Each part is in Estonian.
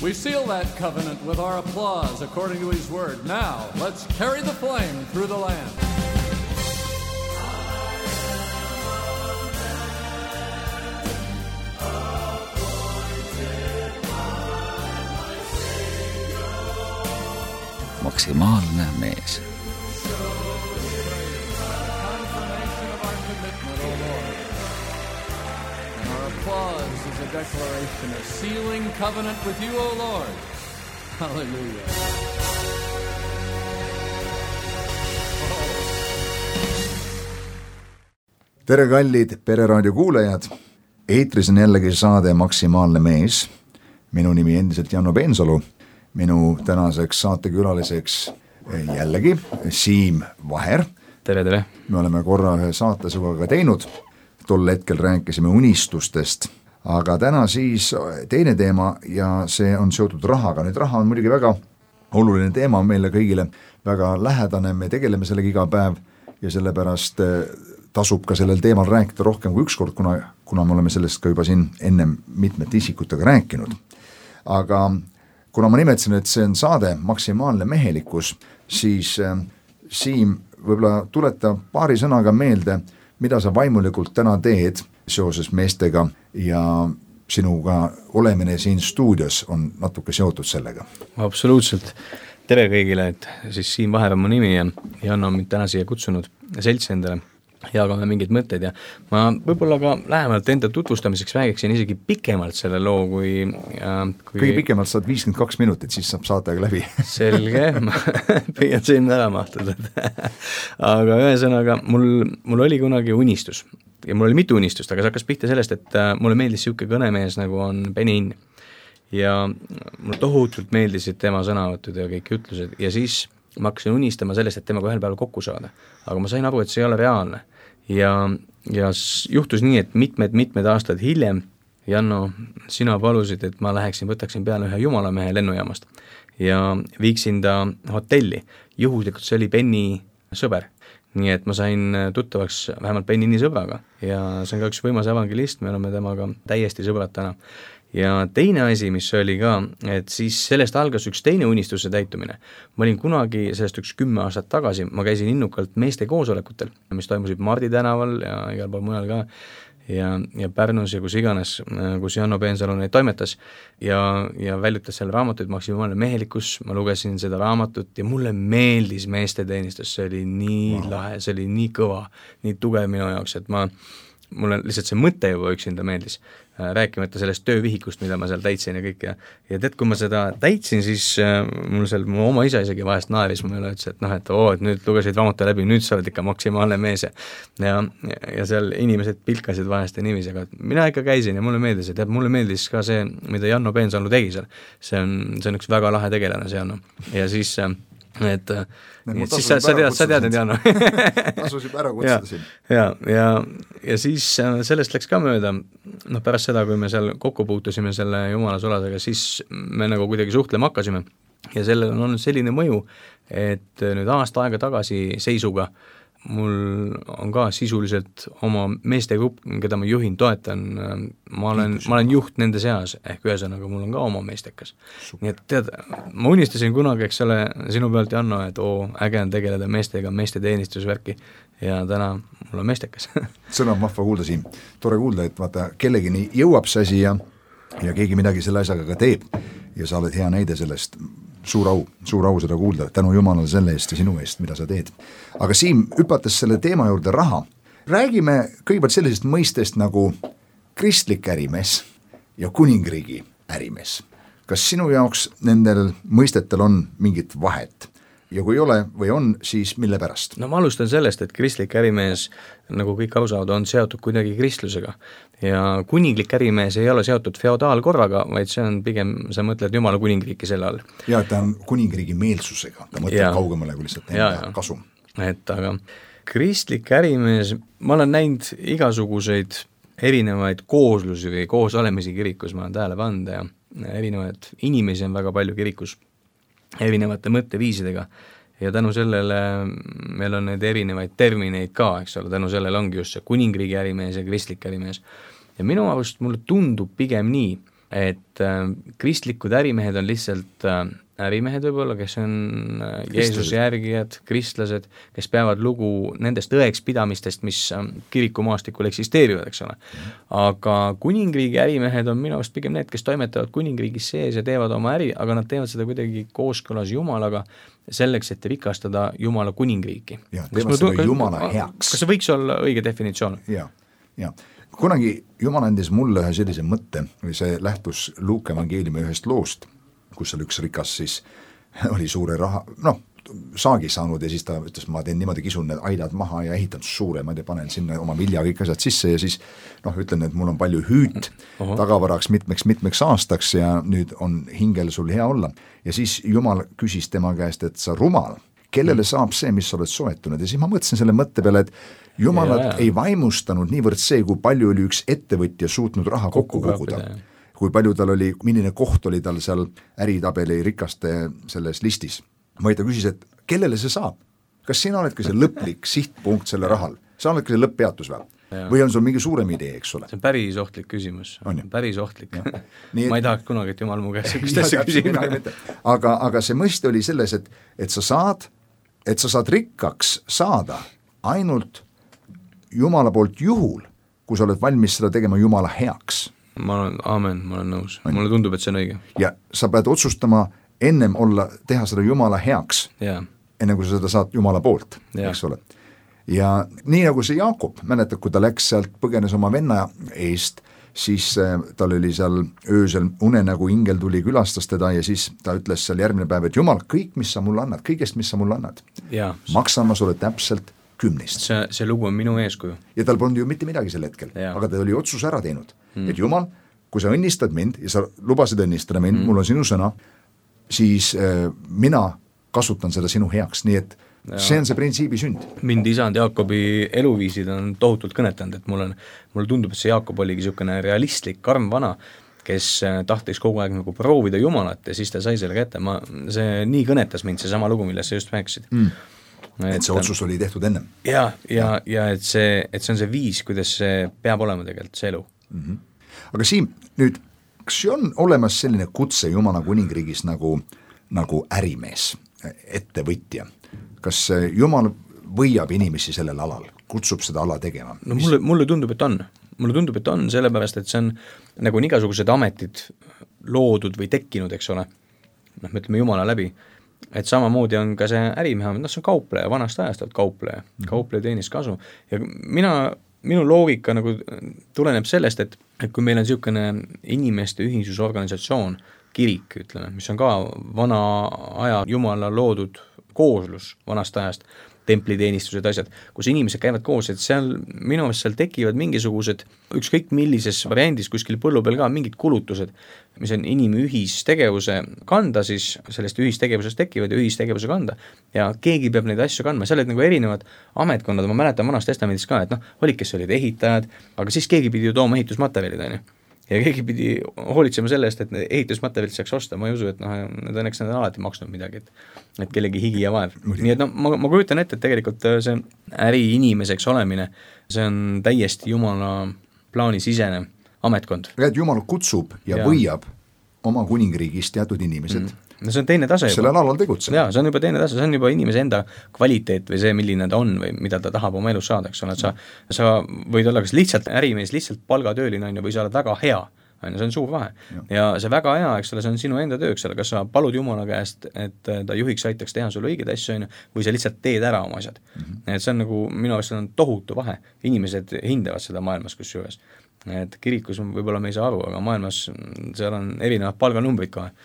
We seal that covenant with our applause according to his word. Now, let's carry the flame through the land. Maksimaalne mees. Applause is a declaration of sealing covenant with you, O Lord. Hallelujah. Tere kallid Pereraadio kuulajad, eetris on jällegi saade Maksimaalne mees. Minu nimi endiselt Janno Peensalu, minu tänaseks saatekülaliseks jällegi Siim Vaher. Tere, tere. Me oleme korra ühe saate sinuga teinud, tol hetkel rääkisime unistustest, aga täna siis teine teema ja see on seotud rahaga. Nüüd raha on muidugi väga oluline teema meile kõigile, väga lähedane, me tegeleme sellega iga päev ja sellepärast tasub ka sellel teemal rääkida rohkem kui ükskord, kuna me oleme sellest ka juba siin enne mitmete isikutega rääkinud. Aga kuna ma nimetasin, et see on saade Maksimaalne mehelikkus, siis Siim võib-olla tuleta paari sõnaga meelde, mida sa vaimulikult täna teed seoses meestega ja sinuga olemine siin stuudios on natuke seotud sellega. Absoluutselt. Tere kõigile, et siis Siim Vaher on mu nimi ja Janno on mind täna siia kutsunud seltsi endale jagame mingeid mõtteid ja ma võib-olla ka lähemalt enda tutvustamiseks räägiksin isegi pikemalt selle loo, kui kõige pikemalt saad 52 minutit, siis saab saatega läbi. Selge, ma püüan sinna ära mahtuda. Aga ühesõnaga, mul oli kunagi unistus ja mul oli mitu unistust, aga see hakkas pihta sellest, et mulle meeldis siuke kõnemees nagu on Benny Hinn ja mulle tohutult meeldisid tema sõnavõtud ja kõik ütlused ja siis ma hakkasin unistama sellest, et temaga ühel päeval kokku saada, aga ma sain aru, et see ei ole reaalne. Ja juhtus nii, et mitmed aastad hiljem, Janno, sina palusid, et ma võtaksin peale ühe jumalamehe lennujaamast ja viiksin ta hotelli. Juhuslikult see oli Benny sõber, nii et ma sain tuttavaks vähemalt Benny sõbraga ja see on ka üks võimas evangelist, me oleme temaga täiesti sõbrad täna. Ja teine asi, mis oli ka, et siis sellest algas üks teine unistuse täitumine. Ma olin kunagi sellest 10 aastat tagasi, ma käisin innukalt meeste koosolekutel, mis toimusid Mardi tänaval ja igal pool mujal ka ja Pärnus ja kus iganes, kus Janno Peensalu neid toimetas ja väljutas seal raamatuid Maksimaalne mehelikkus, ma lugesin seda raamatut ja mulle meeldis meeste teenistus, see oli nii lahe, see oli nii kõva, nii tugev minu jaoks, et mulle lihtsalt see mõte juba üksinda meeldis, rääkimata sellest töövihikust, mida ma seal täitsin ja kõik ja tead, kui ma seda täitsin, siis mu oma isa isegi vahest naeris mulle, ütles, et nüüd lugesid raamatu läbi, nüüd sa oled ikka maksimaalne mees ja seal inimesed pilkasid vahest ja niiviisi, aga mina ikka käisin ja mulle meeldis, et mulle meeldis ka see, mida Janno Peensalu tegi seal, see on üks väga lahe tegelane see Janno ja siis siis sa tead, Janno. Tasus juba ära kutsudasin. Ja siis sellest läks ka mööda, pärast seda, kui me seal kokku puutusime selle jumala solasega, siis me nagu kuidagi suhtlema hakkasime ja sellel on olnud selline mõju, et nüüd aasta aega tagasi seisuga mul on ka sisuliselt oma meestegrupp, keda ma juhin, toetan, ma olen juht nende seas, ehk ühesõnaga mul on ka oma meestekas. Nii et tead, ma unistasin kunagi, eks ole, sinu pealt, Janno, et äge on tegeleda meestega, meeste teenistusvärki ja täna mul on meestekas. Sõna on vahva kuulda siin, tore kuulda, et vaata, kellegini jõuab see asi ja keegi midagi selle asjaga ka teeb ja sa oled hea näide sellest. Suur au seda kuulda, tänu Jumalale selle eest ja sinu eest, mida sa teed. Aga Siim, hüpates selle teema juurde raha, räägime kõigepealt sellisest mõistest nagu kristlik ärimees ja kuningriigi ärimees. Kas sinu jaoks nendel mõistetel on mingit vahet? Ja kui ei ole või on, siis mille pärast? No ma alustan sellest, et kristlik ärimees, nagu kõik aru saavad, on seotud kuidagi kristlusega. Ja kuninglik ärimees ei ole seotud feodaalkorraga, vaid see on pigem, sa mõtled Jumala kuningriiki selle all. Ja ta on kuningriigi meelsusega, ta mõtleb kaugemale kui lihtsalt enda kasum. Aga kristlik ärimees, ma olen näinud igasuguseid erinevaid kooslusi või koosolemisi kirikus, ma olen tähele pannud ja erinevaid inimesi on väga palju kirikus erinevate mõtteviisidega ja tänu sellele meil on need erinevaid termineid ka, eks ole, tänu sellele ongi just see kuningriigi ärimees ja kristlik ärimees. Ja minu arust mulle tundub pigem nii, et kristlikud ärimehed on lihtsalt ärimehed võib-olla, kes on Jeesuse järgijad, kristlased, kes peavad lugu nendest tõekspidamistest, mis kirikumaastikul eksisteerivad, eks ole. Aga kuningriigi ärimehed on minu arust pigem need, kes toimetavad kuningriigis sees ja teevad oma äri, aga nad teevad seda kuidagi kooskõlas Jumalaga, selleks, et rikastada Jumala kuningriiki. Ja, teevad seda Jumala heaks. Kas see võiks olla õige definitsioon? Ja. Kunagi Jumal andis mulle ühe sellise mõtte, või see lähtus Luuke evangeeliumi ühest loost, kus seal üks rikas siis oli suure raha, saagi saanud ja siis ta ütles, ma teen niimoodi, kisun need aidad maha ja ehitan suure, ma panen sinna oma vilja kõik asjad sisse ja siis ütlen, et mul on palju hüüt tagavaraks mitmeks aastaks ja nüüd on hingel sul hea olla. Ja siis Jumal küsis tema käest, et sa rumal, kellele saab see, mis sa oled soetunud ja siis ma mõtlesin selle mõtte peale, et Jumalat ei vaimustanud niivõrd see, kui palju oli üks ettevõtja suutnud raha kokku koguda. Kui palju tal oli, milline koht oli tal seal äritabeli rikaste selles listis. Vaid ta küsis, et kellele see saab? Kas sina oledki see lõplik sihtpunkt selle rahal? Sa oledki see lõpppeatus või? Või on sul mingi suurem idee, eks ole? See on päris ohtlik küsimus. Päris ohtlik. Ma ei tahaks kunagi, et Jumal mu käest sellist asja küsima. Aga see mõiste oli selles, et sa saad rikkaks saada ainult Jumala poolt juhul, kui sa oled valmis seda tegema Jumala heaks. Ma olen nõus. Mulle tundub, et see on õige. Ja sa pead otsustama ennem teha seda Jumala heaks, enne kui sa seda saad Jumala poolt, eks ole. Ja nii nagu see Jaakob, mäletad, kui ta läks sealt, põgenes oma venna eest, siis tal oli seal öösel unenägu, ingel tuli, külastas teda ja siis ta ütles seal järgmine päev, et Jumal, kõik, mis sa mulle annad, kõigest, mis sa mulle annad, maksan ma sulle täpselt 10. See lugu on minu eeskuju. Ja tal polnud ju mitte midagi sel hetkel, aga ta oli otsus ära teinud. Et Jumal, kui sa õnnistad mind ja sa lubasid õnnistada mind, mul on sinu sõna, siis mina kasutan seda sinu heaks, nii et see on see printsiibi sünd. Mind isand Jaakobi eluviisid on tohutult kõnetanud, et mulle tundub, et see Jaakob oligi niisugune realistlik, karm vana, kes tahtis kogu aeg nagu proovida Jumalat ja siis ta sai selle kätte. See nii kõnetas mind, see sama lugu, millest sa just rääkisid. Et see otsus oli tehtud ennem. Ja et see on see viis, kuidas see peab olema tegelikult see elu. Aga Siim, nüüd, kas on olemas selline kutse Jumala kuningriigis nagu ärimees, ettevõtja? Kas Jumal võiab inimesi sellel alal, kutsub seda ala tegema? No mulle tundub, et on. Mulle tundub, et on, sellepärast, et see on nagu igasugused ametid loodud või tekkinud, eks ole. Me ütleme Jumala läbi. Et samamoodi on ka see ärimehe, see on kaupleja, vanast ajast kaupleja teenis kasu ja minu loogika nagu tuleneb sellest, et kui meil on niisugune inimeste ühinsusorganisatsioon, kirik, ütleme, mis on ka vana aja Jumala loodud kooslus vanast ajast, templiteenistused, asjad, kus inimesed käivad koos, et minu arust seal tekivad mingisugused, ükskõik millises variandis kuskil põllu peal ka mingid kulutused, mis on inimühistegevuse kanda, siis sellest ühistegevusest tekivad ja ühistegevuse kanda ja keegi peab neid asju kandma, seal olid nagu erinevad ametkonnad, ma mäletan vanast testamendist ka, et olid, kes olid ehitajad, aga siis keegi pidi ju tooma ehitusmaterjalid, on ju. Ja keegi pidi hoolitsema selle eest, et ehitusmaterjalid saaks osta, ma ei usu, et õnneks nad on alati maksnud midagi, et kellegi higi ja vaev. Nii et ma kujutan ette, et tegelikult see äriinimeseks olemine, see on täiesti Jumala plaani sisene ametkond. Et Jumal kutsub ja võiab oma kuningriigis teatud inimesed no see on teine tase sellel alal tegutseb. Jaa, see on juba teine tase, see on juba inimese enda kvaliteet või see, milline ta on või mida ta tahab oma elus saada, eks ole, et sa võid olla kas lihtsalt ärimees, lihtsalt palgatööline või sa oled väga hea, see on suur vahe. Ja see väga hea, eks ole, see on sinu enda töö, eks ole, kas sa palud Jumala käest, et ta juhiks aitaks teha sulle õigeid asju, või sa lihtsalt teed ära oma asjad. Et see on nagu, minu arust on tohutu vahe. Inimesed hindavad seda maailmas kusjuures. Et kirikus võib-olla me ei saa aru, aga maailmas seal on erinevad palganumbrid kohe.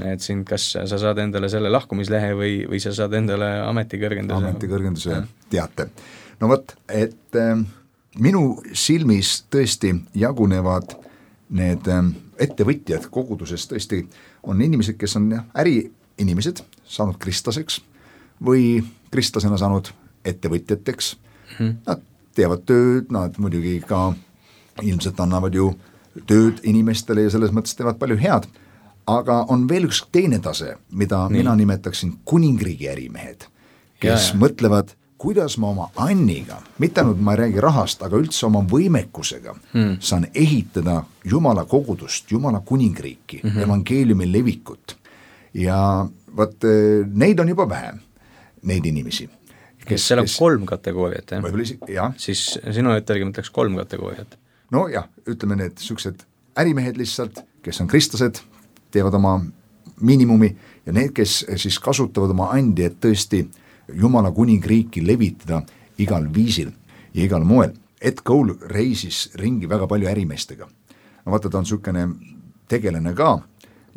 Et siin kas sa saad endale selle lahkumislehe või sa saad endale ametikõrgenduse teate. No võt, et minu silmis tõesti jagunevad need ettevõtjad koguduses tõesti on inimesed, kes on äriinimesed saanud kristlaseks või kristlasena saanud ettevõtjateks. Nad teevad tööd, nad muidugi ka ilmselt annavad ju tööd inimestele ja selles mõttes teevad palju head. Aga on veel üks teine tase, mida mina nimetaksin kuningriigi ärimehed, kes mõtlevad, kuidas ma oma anniga, mitte ainult ma ei räägi rahast, aga üldse oma võimekusega saan ehitada Jumala kogudust, Jumala kuningriiki, evangeeliumi levikut. Ja vaat neid on juba vähem, neid inimesi. Seal on 3 kategooriat, jah? Siis sinu ütelgi mõtleks 3 kategooriat. No jah, ütleme need sellised ärimehed lihtsalt, kes on kristlased, teevad oma miinimumi ja need, kes siis kasutavad oma andi, et tõesti Jumala kuningriiki levitada igal viisil ja igal moel. Ed Cole reisis ringi väga palju ärimeestega. No vaata, ta on niisugune tegelane ka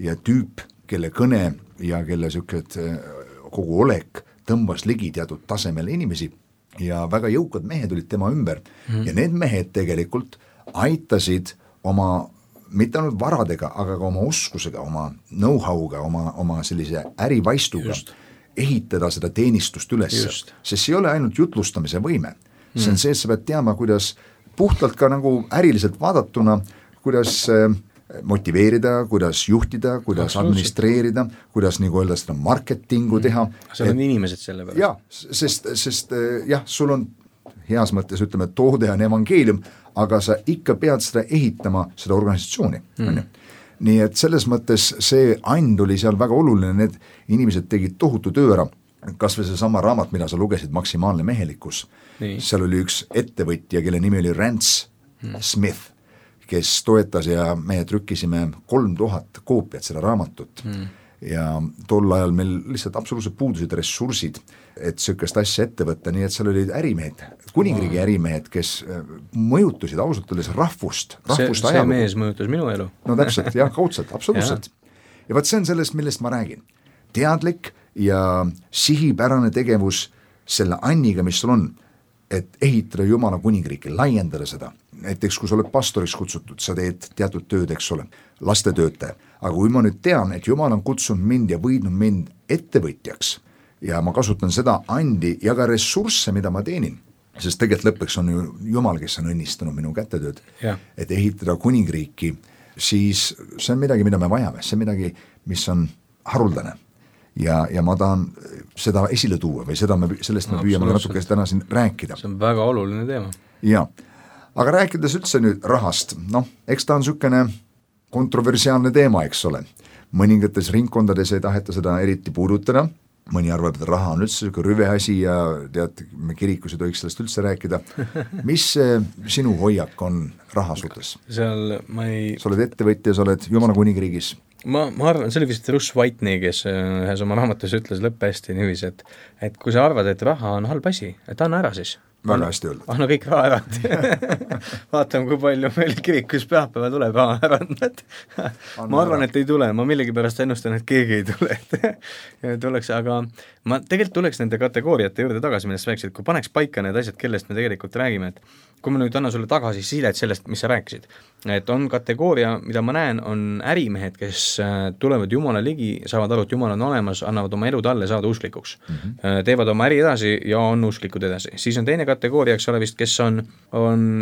ja tüüp, kelle kõne ja kelle niisugused kogu olek tõmbas ligi teatud tasemel inimesi ja väga jõukad mehed olid tema ümber ja need mehed tegelikult aitasid oma, mitte ainult varadega, aga ka oma oskusega, oma know-how'ga, oma sellise ärivaistuga ehitada seda teenistust üles, sest see ei ole ainult jutlustamise võime, see on see, et sa pead teama, kuidas puhtalt ka nagu äriliselt vaadatuna, kuidas motiveerida, kuidas juhtida, kuidas administreerida, kuidas nagu öelda seda marketingu teha. Seal on inimesed selle peale. Jah, sest jah, sul on heas mõttes, ütleme, toode on evangeelium, aga sa ikka pead seda ehitama, seda organisatsiooni. Nii et selles mõttes see and oli seal väga oluline, need inimesed tegid tohutu töö ära, kas või see sama raamat, mida sa lugesid, Maksimaalne mehelikkus, seal oli üks ettevõtja, kelle nimi oli Rance Smith, kes toetas ja me trükkisime 3000 koopiat seda raamatut ja tol ajal meil lihtsalt absoluutselt puudusid ressursid, et niisugust asja ette võtta, nii et seal olid ärimehed, kuningriigi ärimehed, kes mõjutasid ausalt öeldes rahvust see ajalugu. Mees mõjutas minu elu. No täpselt, jah, kaudselt, absoluutselt. Ja vaat see on sellest, millest ma räägin. Teadlik ja sihipärane tegevus selle anniga, mis sul on, et ehitada Jumala kuningriiki, laiendada seda. Näiteks, kui sa oled pastoriks kutsutud, sa teed teatud tööd, eks ole, lastetöötaja. Aga kui ma nüüd tean, et Jumal on kutsunud mind ja võidnud mind ettevõtjaks ja ma kasutan seda andi ja ka ressursse, mida ma teenin, sest tegelikult lõpuks on ju Jumal, kes on õnnistanud minu kätetööd, et ehitada kuningriiki, siis see on midagi, mida me vajame, see on midagi, mis on haruldane. Ja ma tahan seda esile tuua või sellest me püüame natuke täna siin rääkida. See on väga oluline teema. Ja, aga rääkides üldse nüüd rahast, eks ta on niisugune kontroversiaalne teema, eks ole. Mõningates ringkondades ei taheta seda eriti puudutada, mõni arvab, et raha on üldse niisugune rüve asi ja tead, me kirikus ei tohiks sellest üldse rääkida. Mis sinu hoiak on raha suhtes? Sa oled ettevõtja, sa oled Jumala kuningriigis. Ma arvan, see oli vist Russ Whitney, kes ühes oma raamatus ütles lõppesti niiviisi, et kui sa arvad, et raha on halb asi, et anna ära siis. Väga hästi öeldud. Anna kõik raha ära. Vaatame, kui palju meil kirikus pühapäeva tuleb raha ära. Ma arvan, et ei tule, ma millegipärast ennustan, et keegi ei tule. Tuleks, aga ma tegelikult tuleks nende kategooriate juurde tagasi, millest rääkisid, kui paneks paika need asjad, kellest me tegelikult räägime, et kui ma nüüd annan sulle tagasi sidet sellest, mis sa rääkisid, et on kategooria, mida ma näen, on ärimehed, kes tulevad Jumala ligi, saavad aru, et Jumal on olemas, annavad oma elu talle saada usklikuks. Teevad oma äri edasi ja on usklikud edasi. Siis on teine kategooria, eks ole vist, kes on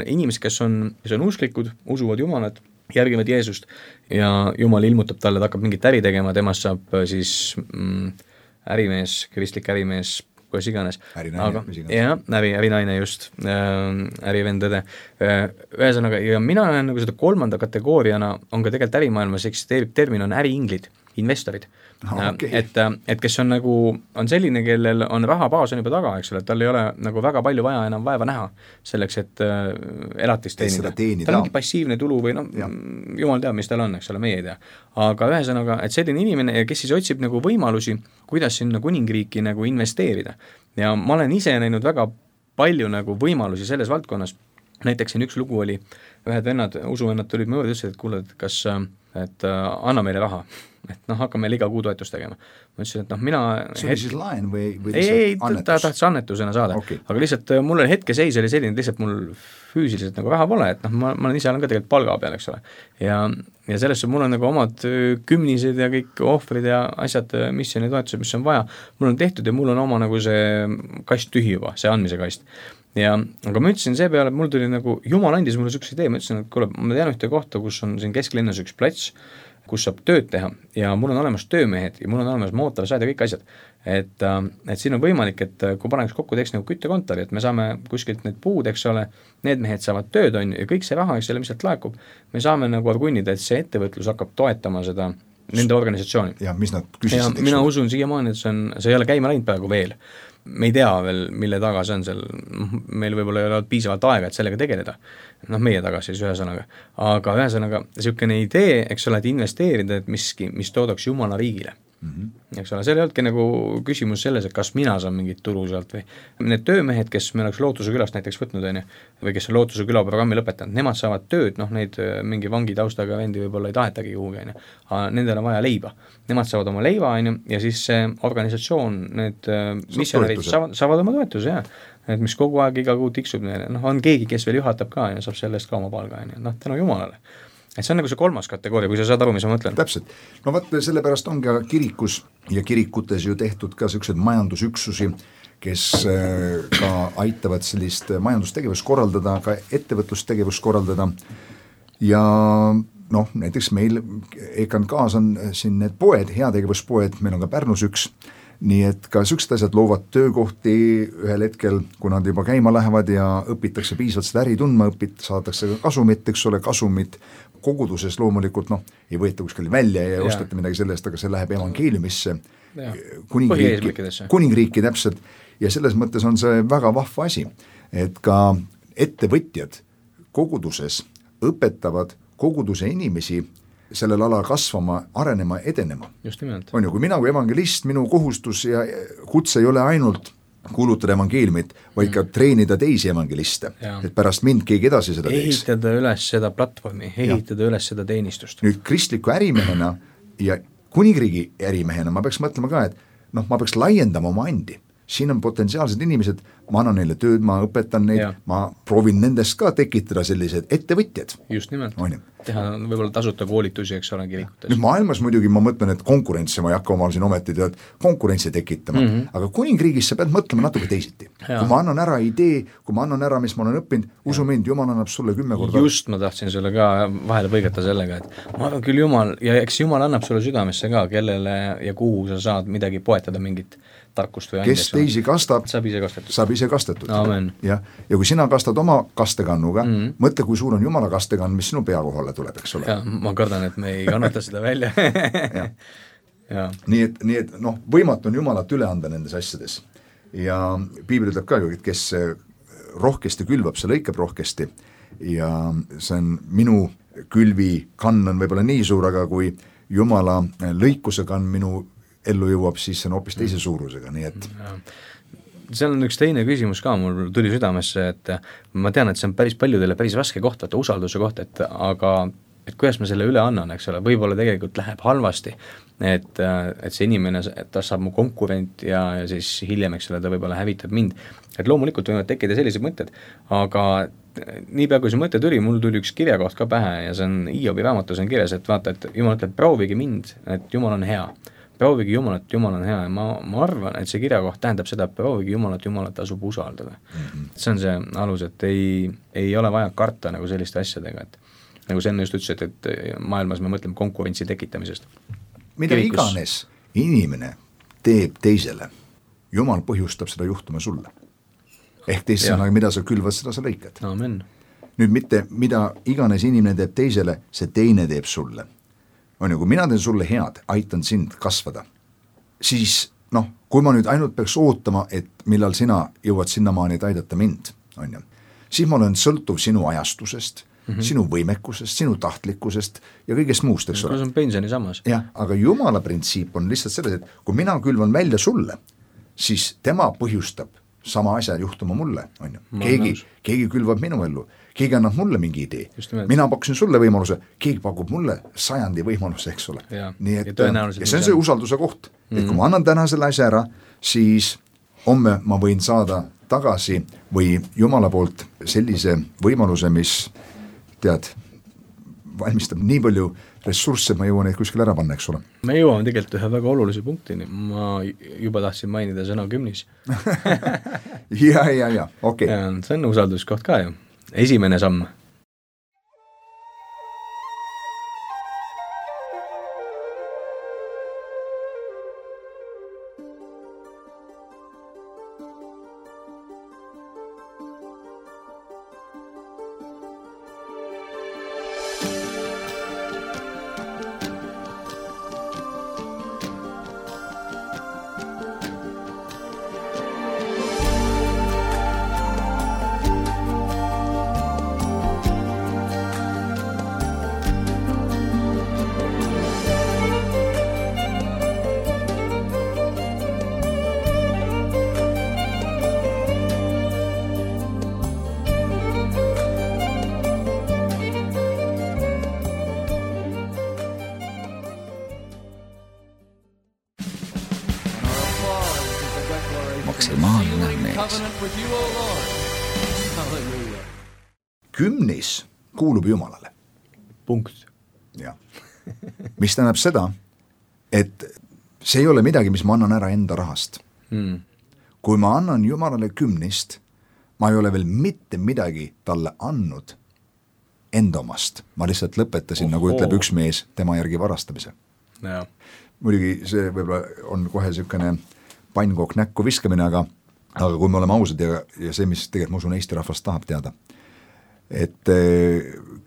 inimesed, kes on usklikud, usuvad Jumalat, järgivad Jeesust ja Jumal ilmutab talle, ta hakkab mingit äri tegema, temast saab siis ärimees, kristlik ärimees, kuidas iganes. Ärinaine just, ärivendade. Ühesõnaga, ja mina näen nagu seda kolmanda kategooriana on ka tegelikult ärimaailmas eksisteerib termin on äriinglid, investorid. Et kes on nagu, on selline, kellel on rahabaas on juba taga, eks ole, et tal ei ole nagu väga palju vaja enam vaeva näha selleks, et elatist teenida. Tal on mingi passiivne tulu või Jumal teab, mis tal on, eks ole, meie ei tea. Aga ühesõnaga, et selline inimene, kes siis otsib nagu võimalusi, kuidas sinna kuningriiki nagu investeerida. Ja ma olen ise näinud väga palju nagu võimalusi selles valdkonnas. Näiteks siin üks lugu oli, ühed vennad, usuvennad tulid mu juurde ja ütlesid, et kuule, et anna meile raha, et hakka meile iga kuu toetust tegema. Ma ütlesin, et mina... See oli siis laen või ei, ta tahtis annetusena saada, aga lihtsalt mul hetke seis oli selline, lihtsalt mul füüsiliselt nagu raha pole, et ma olen ise ka tegelikult palga peal, eks ole. Ja sellest mul on nagu omad kümnised ja kõik ohvrid ja asjad, missiooni toetused, mis on vaja, mul on tehtud ja mul on oma nagu see kast tühi juba, see andmise kast. Aga ma ütlesin see peale, et mul tuli nagu, Jumal andis mulle sükse idee, ma ütlesin, et kuule, ma tean ühte kohta, kus on siin kesklinnas üks plats, kus saab tööd teha ja mul on olemas töömehed ja mul on olemas mootorsaed ja kõik asjad. Et siin on võimalik, et kui paneks kokku teeks nagu küttekontori, et me saame kuskilt need puud, eks ole, need mehed saavad tööd, on ja kõik see raha, eks selle, mis sealt laekub, me saame nagu argunnida, et see ettevõtlus hakkab toetama seda nende organisatsiooni. Ja mis nad küsisid, mina usun siiamaani, et see ei ole käima läinud praegu veel. Me ei tea veel, mille taga see on seal, meil võib-olla ei ole piisavalt aega, et sellega tegeleda. Meie taga siis ühesõnaga. Aga ühesõnaga, niisugune idee, eks ole, et investeerida, et miski, mis toodaks Jumala riigile. Eks ole, seal ei olnudki nagu küsimus selles, et kas mina saan mingit tulu sealt või need töömehed, kes me oleks Lootuse külast näiteks võtnud, või kes on Lootuse küla programmi lõpetanud, nemad saavad tööd, neid mingi vangi taustaga vendi võib-olla ei tahetagi kuhugi, aga nendel on vaja leiba. Nemad saavad oma leiva, ja siis see organisatsioon, need missionärid saavad oma toetuse, et mis kogu aeg iga kuu tiksub neile, on keegi, kes veel juhatab ka ja saab selle eest ka oma palga, tänu Jumalale. Et see on nagu see kolmas kategooria, kui sa saad aru, mis ma mõtlen. Täpselt. Sellepärast ongi kirikus ja kirikutes ju tehtud ka sellised majandusüksusi, kes ka aitavad sellist majandustegevust korraldada, ka ettevõtlustegevust korraldada ja näiteks meil EKNK-s on siin need poed, heategevuspoed, meil on ka Pärnus üks, nii et ka sellised asjad loovad töökohti ühel hetkel, kui nad juba käima lähevad ja õpitakse piisavalt seda äri tundma, saadakse ka kasumit, eks ole, kasumit koguduses loomulikult, ei võeta kuskil välja ja ostete midagi sellest, aga see läheb evangeeliumisse, kuningriiki täpselt, ja selles mõttes on see väga vahva asi, et ka ettevõtjad koguduses õpetavad koguduse inimesi sellel ala kasvama, arenema, edenema. Just nimelt. On ju, kui mina kui evangelist, minu kohustus ja kutse ei ole ainult kuulutada evangeeliumit, vaid ka treenida teisi evangeliste, et pärast mind keegi edasi seda teeks. Ehitada üles seda platvormi, ehitada üles seda teenistust. Nüüd kristliku ärimehena ja kuningriigi ärimehena ma peaks mõtlema ka, et ma peaks laiendama oma andi. Siin on potentsiaalsed inimesed, ma annan neile tööd, ma õpetan neid, ma proovin nendest ka tekitada sellised ettevõtjad. Just nimelt. Teha võib-olla tasuta koolitusi, eks ole, kirikutes. Nüüd maailmas muidugi ma mõtlen, et konkurentsi ma ei hakka omal siin ometi konkurentsi tekitama, aga kuningriigis sa pead mõtlema natuke teisiti. Kui ma annan ära idee, kui ma annan ära, mis ma olen õppinud, usu mind, Jumal annab sulle 10 korda. Just ma tahtsin sulle ka vahele põigata sellega, et ma arvan küll Jumal, ja eks Jumal annab sulle südamesse ka, kellele ja kuhu sa saad midagi poetada mingit tarkust või kes teisi kastab, saab ise kastetud. Ja kui sina kastad oma kastekannuga, mõtle, kui suur on Jumala kastekann, mis sinu pea kohale tuleb, eks ole. Ma kardan, et me ei kannata seda välja. Nii et võimatu on Jumalat üle anda nendes asjades. Ja piibel ütleb ka ju, et kes rohkesti külvab, see lõikab rohkesti. Ja see on minu külvi kann on võib-olla nii suur, aga kui Jumala lõikuse kann minu ellu jõuab, siis see on hoopis teise suurusega, nii et seal on üks teine küsimus ka, mul tuli südamesse, et ma tean, et see on päris paljudele päris raske koht, usalduse koht, aga et kuidas ma selle üle annan, eks ole, võib-olla tegelikult läheb halvasti, et see inimene, ta saab mu konkurent ja siis hiljem, eks ole, ta võib-olla hävitab mind. Et loomulikult võivad tekkida sellised mõtted, aga niipea kui see mõte tuli, mul tuli üks kirjakoht ka pähe ja see on Hiobi raamatus on kirjas, et vaata, et Jumal ütleb, proovige mind, et Jumal on hea. Proovige Jumalat, Jumal on hea ja ma arvan, et see kirjakoht tähendab seda, et proovige Jumalat asub usaldada. See on see alus, et ei ole vaja karta nagu selliste asjadega, et nagu see enne just ütles, et maailmas me mõtleme konkurentsi tekitamisest. Mida iganes inimene teeb teisele, Jumal põhjustab seda juhtuma sulle. Ehk teisena, mida sa külvad, seda sa lõikad. Amen. Nüüd mitte, mida iganes inimene teeb teisele, see teine teeb sulle. On ju, kui mina teen sulle head, aitan sind kasvada, siis kui ma nüüd ainult peaks ootama, et millal sina jõuad sinnamaani, et aidata mind, on ju, siis ma olen sõltuv sinu ajastusest, sinu võimekusest, sinu tahtlikkusest ja kõigest muust, eks ole. See on pensioni samas. Jah, aga Jumala printsiip on lihtsalt selles, et kui mina külvan välja sulle, siis tema põhjustab sama asja juhtuma mulle, on ju. Keegi külvab minu ellu, keegi annab mulle mingi idee, mina pakkusin sulle võimaluse, keegi pakub mulle 100 võimaluse, eks ole. Nii et, ja see on see usalduse koht, et kui ma annan täna selle asja ära, siis homme ma võin saada tagasi või Jumala poolt sellise võimaluse, mis valmistab nii palju ressursse, ma jõuan neid kuskil ära panna, eks ole. Me jõuame tegelikult ühe väga olulise punktini, ma juba tahtsin mainida sõna kümnis. ja, okei. See on usalduskoht ka ju. Esimene samm. maksimaalne mees. covenant with you, O Lord. Hallelujah. Kümnis kuulub Jumalale. punkt. Jah. Mis tähendab seda, et see ei ole midagi, mis ma annan ära enda rahast. Kui ma annan Jumalale kümnist, ma ei ole veel mitte midagi talle andnud enda omast. Ma lihtsalt lõpetasin, nagu ütleb üks mees, tema järgi varastamise. Ja. Muidugi see võib-olla on kohe niisugune pannkokk näkku viskamine, aga kui me oleme ausad ja see, mis tegelikult ma usun Eesti rahvast tahab teada, et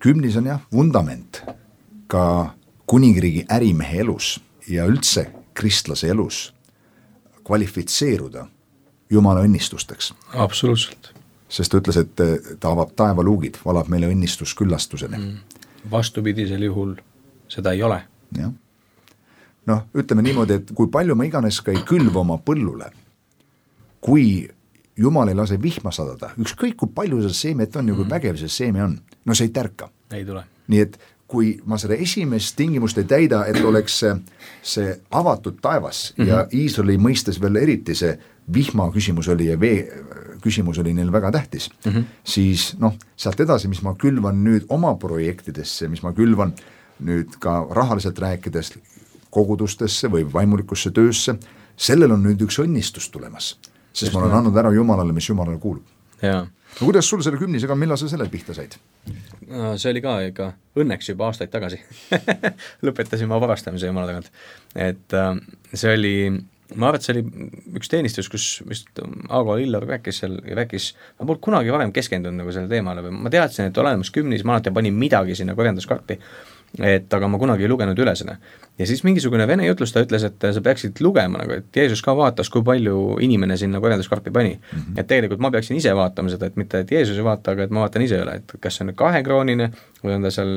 kümnis on jah vundament ka kuningriigi ärimehe elus ja üldse kristlase elus kvalifitseeruda Jumala õnnistusteks. Absoluutselt. Sest ta ütles, et ta avab taevaluugid, valab meile õnnistusküllastuseni. Vastupidisel juhul seda ei ole. Jah. Noh, ütleme niimoodi, et kui palju ma iganes ka ei külva oma põllule, kui Jumal ei lase vihma sadada, ükskõik kui palju see seemet on ja kui vägev see seeme on, no see ei tärka. Ei tule. Nii et kui ma seda esimest tingimust ei täida, et oleks see avatud taevas ja Iisraeli mõistes veel eriti see vihma küsimus oli ja vee küsimus oli neil väga tähtis, siis sealt edasi, mis ma külvan nüüd oma projektidesse, mis ma külvan nüüd ka rahaliselt rääkides kogudustesse või vaimulikusse töösse, sellel on nüüd üks õnnistus tulemas, sest ma olen andnud ära Jumalale, mis Jumalale kuulub. Jaa. No kuidas sul selle kümnisega, millal sa selle pihta said? See oli ka ikka õnneks juba aastaid tagasi. Lõpetasin ma varastamise Jumala tagant. Et see oli, ma arvan, et see oli üks teenistus, kus vist Aago Lillar rääkis seal ja rääkis, ma polnud kunagi varem keskendunud nagu selle teemale või ma teadsin, et olemas kümnis, ma alati panin midagi sinna korjanduskarti, et aga ma kunagi ei lugenud üle seda. Ja siis mingisugune vene jutlustaja ütles, et sa peaksid lugema, nagu, et Jeesus ka vaatas, kui palju inimene sinna korjanduskarpi pani. Et tegelikult ma peaksin ise vaatama seda, et mitte et Jeesus ei vaata, aga et ma vaatan ise üle, et kas see on 2-kroonine või on ta seal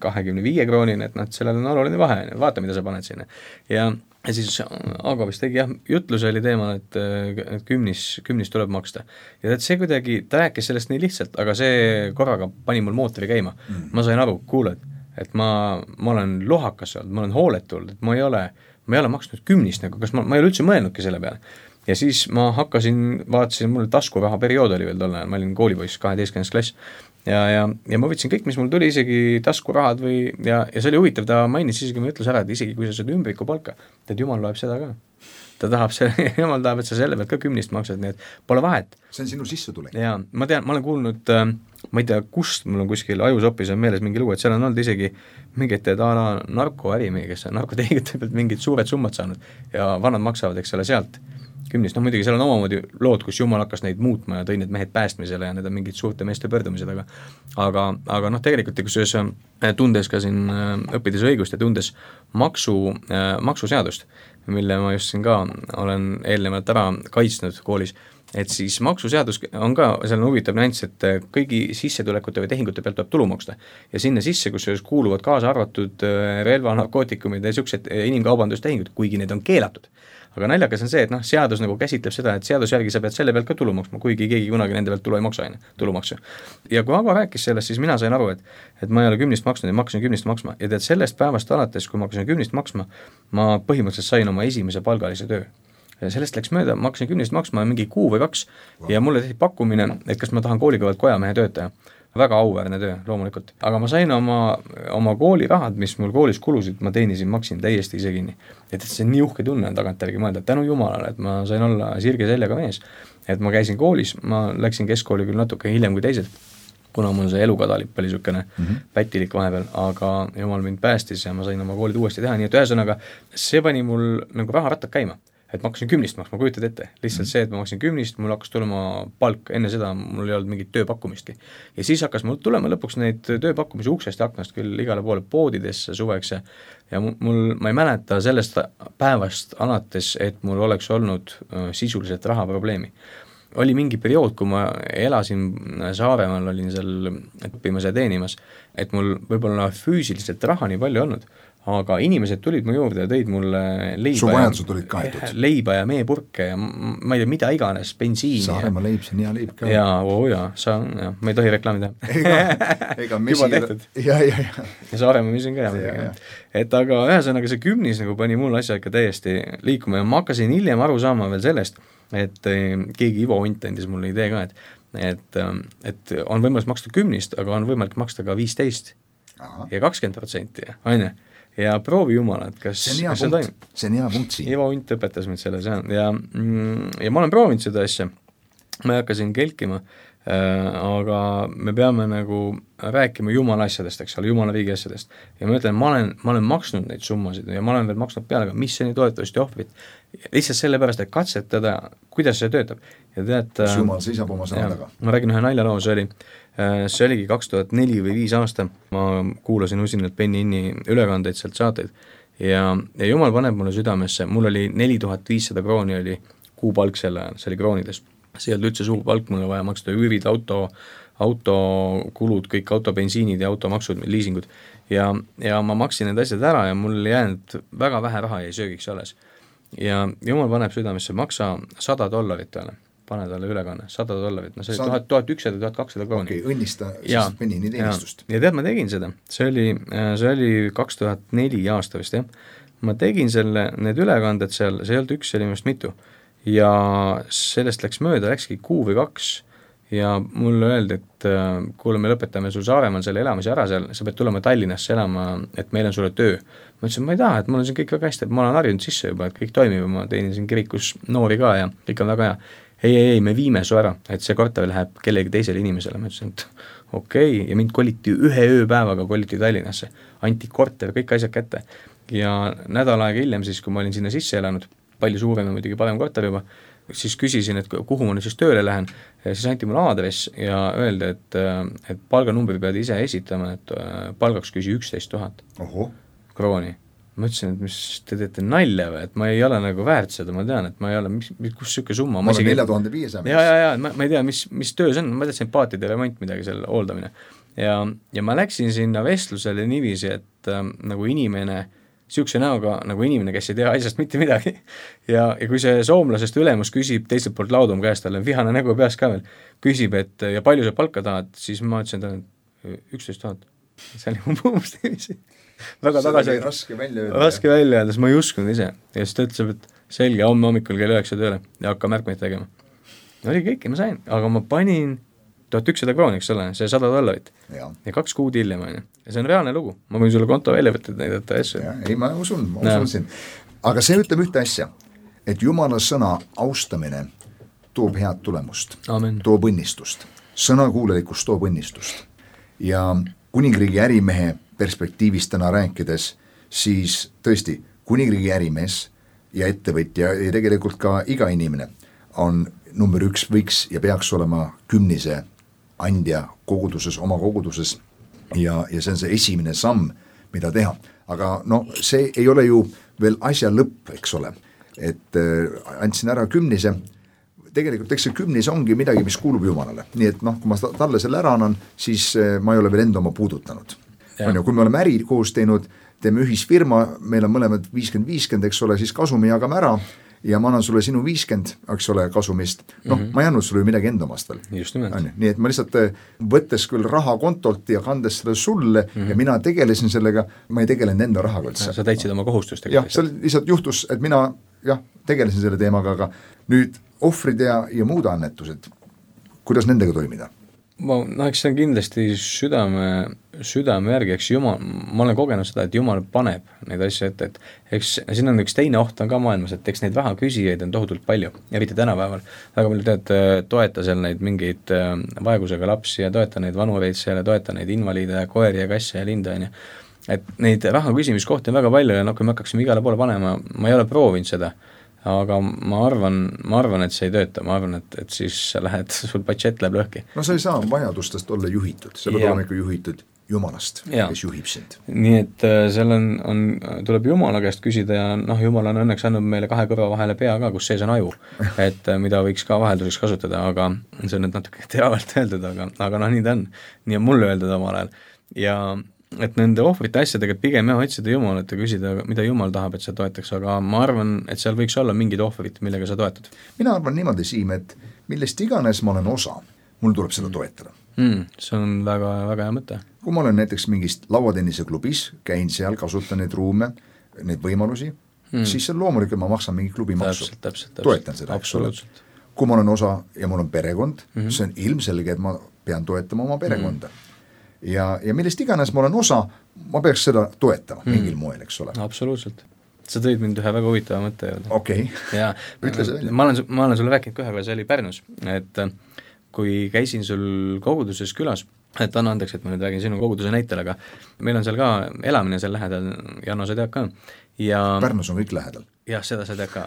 25-kroonine, et sellel on oluline vahe, vaata, mida sa paned sinna. Ja siis Aago vist tegi jutluse oli teemal, et kümnis tuleb maksta. Ja see kuidagi, ta rääkis sellest nii lihtsalt, aga see korraga pani mul mootori käima. Ma sain aru, kuuled, et ma olen lohakas olnud, ma olen hooletul, et ma ei ole maksnud kümnist, nagu kas ma ei ole üldse mõelnudki selle peale. Ja siis ma vaatasin, mul taskuraha periood oli veel tolle, ma olin koolipoiss 12. klass ja ma võtsin kõik, mis mul tuli, isegi taskurahad ja see oli huvitav, ta mainis isegi, ma ütles ära, et isegi kui sa saad ümbriku palka, et Jumal loeb seda ka. Jumal tahab, et sa selle pealt ka kümnist maksad, nii et pole vahet. See on sinu sissetulek. Jaa, ma tean, ma olen kuulnud, ma ei tea, kust mul on kuskil ajusopis on meeles mingi lugu, et seal on olnud isegi mingid narkoärimehi, kes on narkotehingute pealt mingid suured summad saanud ja vanad maksavad, eks ole, sealt kümnist. Muidugi seal on omamoodi lood, kus Jumal hakkas neid muutma ja tõi need mehed päästmisele ja need on mingid suurte meeste pöördumised, aga tegelikult, kus tundes ka siin õppides õigust ja tundes maksuseadust, mille ma just siin ka olen eelnevalt ära kaitsnud koolis, et siis maksuseadus on ka, seal on huvitav nüanss, et kõigi sissetulekute või tehingute pealt tuleb tulu maksta. Ja sinna sisse, kus kuuluvad kaasa arvatud relva, narkootikumid ja niisugused inimkaubandustehingud, kuigi need on keelatud. Aga naljakas on see, et seadus nagu käsitleb seda, et seaduse järgi sa pead selle pealt ka tulu maksma, kuigi keegi kunagi nende pealt tulu ei maksa, tulumaksu. Ja kui Aago rääkis sellest, siis mina sain aru, et ma ei ole kümnist maksnud ja ma hakkasin kümnist maksma. Ja tead, sellest päevast alates, kui ma hakkasin kümnist maksma, ma põhimõtteliselt sain oma esimese palgalise töö. Ja sellest läks mööda, ma hakkasin kümnist maksma mingi kuu või 2 ja mulle tehti pakkumine, et kas ma tahan koolikõvalt kojamehe töötaja. Väga auväärne töö, loomulikult. Aga ma sain oma koolirahad, mis mul koolis kulusid, ma teenisin, maksin täiesti ise kinni. Et see on nii uhke tunne on tagantjärgi mõelda, et tänu Jumalale, et ma sain olla sirge seljaga mees. Et ma käisin koolis, ma läksin keskkooli küll natuke hiljem kui teised, kuna mul see elukadalip oli niisugune pätilik vahepeal, aga Jumal mind päästis ja ma sain oma koolid uuesti teha, nii et ühesõnaga see pani mul nagu raharattad käima. Et ma hakkasin kümnist maksma, kujutad ette. Lihtsalt see, et ma maksin kümnist, mul hakkas tulema palk, enne seda mul ei olnud mingit tööpakkumistki. Ja siis hakkas mul tulema lõpuks neid tööpakkumisi uksest ja aknast küll igale poole poodidesse suveks ja ma ei mäleta sellest päevast alates, et mul oleks olnud sisuliselt rahaprobleemi. Oli mingi periood, kui ma elasin Saaremaal, olin seal õppimas ja teenimas, et mul võib-olla füüsiliselt raha nii palju olnud, aga inimesed tulid mu juurde ja tõid mulle leiba ja meepurke ja ma ei tea, mida iganes, bensiini. Saaremaa leib, see on hea leib ka. Ma ei tohi reklaami teha. Juba tehtud. Ja Saaremaa misin ka hea. Et aga ühesõnaga see kümnis nagu pani mul asja ikka täiesti liikuma ja ma hakkasin hiljem aru saama veel sellest, et keegi Ivo Unt andis mulle idee ka, et on võimalik maksta 10, aga on võimalik maksta ka 15 ja 20%, on ju. Ja proovi jumala, et kas see on hea punkt siin. Ivo Unt õpetas mind selles ja ma olen proovinud seda asja, ma ei hakka siin kelkima, aga me peame nagu rääkima jumala asjadest, eks ole, jumala riigi asjadest. Ja ma ütlen, ma olen maksnud neid summasid ja ma olen veel maksnud peale ka missioni toetust ja ohvrit, lihtsalt sellepärast, et katsetada, kuidas see töötab. Ja tead, kas jumal seisab oma sõna taga? Ma räägin ühe naljaloo, see oligi 2004 või 5 aasta, ma kuulasin usinalt Penny Inni ülekandeid sealt saateid ja jumal paneb mulle südamesse, mul oli 4500 krooni oli kuupalk selle ajal, see oli kroonides. See ei olnud üldse suur palk, mul vaja maksta üürid, autokulud, kõik autobensiinid ja automaksud, liisingud ja ma maksin need asjad ära ja mul jäänud väga vähe raha jäi söögiks alles. Ja jumal paneb südamesse, maksa $100 peale, pane talle ülekanne, $100, no see oli 1100 ja 1200 krooni. Okei, õnnista siis Penini teenistust. Ja tead, ma tegin seda, see oli 2004 aasta vist, jah. Ma tegin need ülekanded seal, see ei olnud üks, see oli minust mitu. Ja sellest läkski 1 kuu või 2 ja mulle öeldi, et kuule, me lõpetame sul Saaremaal selle elamise ära seal, sa pead tulema Tallinnasse elama, et meil on sulle töö. Ma ütlesin, ma ei taha, et mul on siin kõik väga hästi, et ma olen harjunud sisse juba, et kõik toimib, ma teenin siin kirikus noori ka ja kõik on väga hea. Ei, me viime su ära, et see korter läheb kellegi teisele inimesele. Ma ütlesin, et okei, ja mind koliti 1 ööpäevaga koliti Tallinnasse, anti korter, kõik asjad kätte ja nädal aega hiljem siis, kui ma olin sinna sisse elanud, palju suurem ja muidugi parem korter juba, siis küsisin, et kuhu ma nüüd siis tööle lähen, ja siis anti mulle aadress ja öeldi, et palganumbri pead ise esitama, et palgaks küsi 11 000 krooni. Ma ütlesin, et mis te teete nalja või, et ma ei ole nagu väärt seda, ma tean, et ma ei ole, kus süke summa. Ma olen 4500. Ja, ma ei tea, mis töö see on, ma teadsin paatide remont midagi seal hooldamine. Ja ma läksin sinna vestlusele niiviisi, et nagu inimene, siukse näoga nagu inimene, kes ei tea asjast mitte midagi ja kui see soomlasest ülemus küsib teiselt poolt laudum käest, talle vihane nägu peas ka veel, küsib, et ja palju sa palka tahad, siis ma ütlesin talle 11 000. See oli umbus niiviisi. Väga tagasi. Raske välja öelda, siis ma ei uskunud ise. Ja siis ta ütleb, et selge, homme hommikul kell 9 tööle ja hakka märkmeid tegema. Oli kõik, ma sain, aga ma panin 1100 krooni, eks ole, see $100 ja 2 kuud hiljem, ja see on reaalne lugu, ma võin sulle konto välja võtta näidata asju. Ei, ma usun siin. Aga see ütleb ühte asja, et Jumala sõna austamine toob head tulemust. Amen. Toob õnnistust, sõnakuulelikust toob õnnistust ja kuningriigi ärimehe perspektiivist täna rääkides, siis tõesti kuningriigi ärimees ja ettevõtja ja tegelikult ka iga inimene on number 1 võiks ja peaks olema 10 andja koguduses, oma koguduses ja see on see esimene samm, mida teha. Aga no see ei ole ju veel asja lõpp, eks ole, et andsin ära 10, tegelikult eks see 10 ongi midagi, mis kuulub Jumalale, nii et kui ma talle selle ära annan, siis ma ei ole veel enda oma puudutanud. Kui me oleme äri koos teinud, teeme ühisfirma, meil on mõlemad 50-50, eks ole, siis kasumi jagame ära ja ma annan sulle sinu 50, eks ole, kasumist, ma ei andnud sulle midagi enda omast veel. Just nimelt. Nii et ma lihtsalt võttes küll raha kontolt ja kandes selle sulle ja mina tegelesin sellega, ma ei tegelenud enda rahaga üldse. Sa täitsid oma kohustust. Jah, see lihtsalt juhtus, et mina tegelesin selle teemaga, aga nüüd ohvrid ja muud annetused, kuidas nendega toimida? Eks see on kindlasti südame järgi, eks Jumal, ma olen kogenud seda, et Jumal paneb neid asju ette, et eks siin on üks teine oht on ka maailmas, et eks neid raha küsijaid on tohutult palju, eriti tänapäeval, väga palju toeta seal neid mingeid vaegusega lapsi ja toeta neid vanureid seal ja toeta neid invaliide ja koeri ja kasse ja linda, et neid raha küsimiskohti on väga palju ja kui me hakkaksime igale poole panema, ma ei ole proovinud seda, aga ma arvan, et see ei tööta, ma arvan, et siis sa lähed, sul budget läheb lõhki. No sa ei saa vajadustest olla juhitud, sa pead olema ikka juhitud Jumalast, kes juhib sind. Nii et seal tuleb Jumala käest küsida ja Jumal on õnneks andnud meile 2 kõrva vahele pea ka, kus sees on aju, et mida võiks ka vahelduseks kasutada, aga see on nüüd natuke teravalt öeldud, aga nii ta on. Nii on mulle öeldud omal ajal. Ja et nende ohvrite asjadega pigem otsida Jumalat ja küsida, mida Jumal tahab, et sa toetaks, aga ma arvan, et seal võiks olla mingid ohvrid, millega sa toetad. Mina arvan niimoodi, Siim, et millest iganes ma olen osa, mul tuleb seda toetada. See on väga, väga hea mõte. Kui ma olen näiteks mingist lauatennise klubis, käin seal, kasutan neid ruume, neid võimalusi, siis loomulikult ma maksan mingi klubimaksu. Täpselt. Toetan seda, absoluutselt. Kui ma olen osa ja mul on perekond, see on ilmselge, et ma pean toetama oma perekonda. Ja millest iganes ma olen osa, ma peaks seda toetama mingil moel, eks ole. Absoluutselt. Sa tõid mind ühe väga huvitava mõtte juurde. Okei. Ja ma olen sulle rääkinud kohe, kui see oli Pärnus, et kui käisin sul koguduses külas, et anna andeks, et ma nüüd räägin sinu koguduse näitel, aga meil on seal ka elamine seal lähedal, Janno, sa tead ka. Ja Pärnus on kõik lähedal. Jah, seda sa tead ka.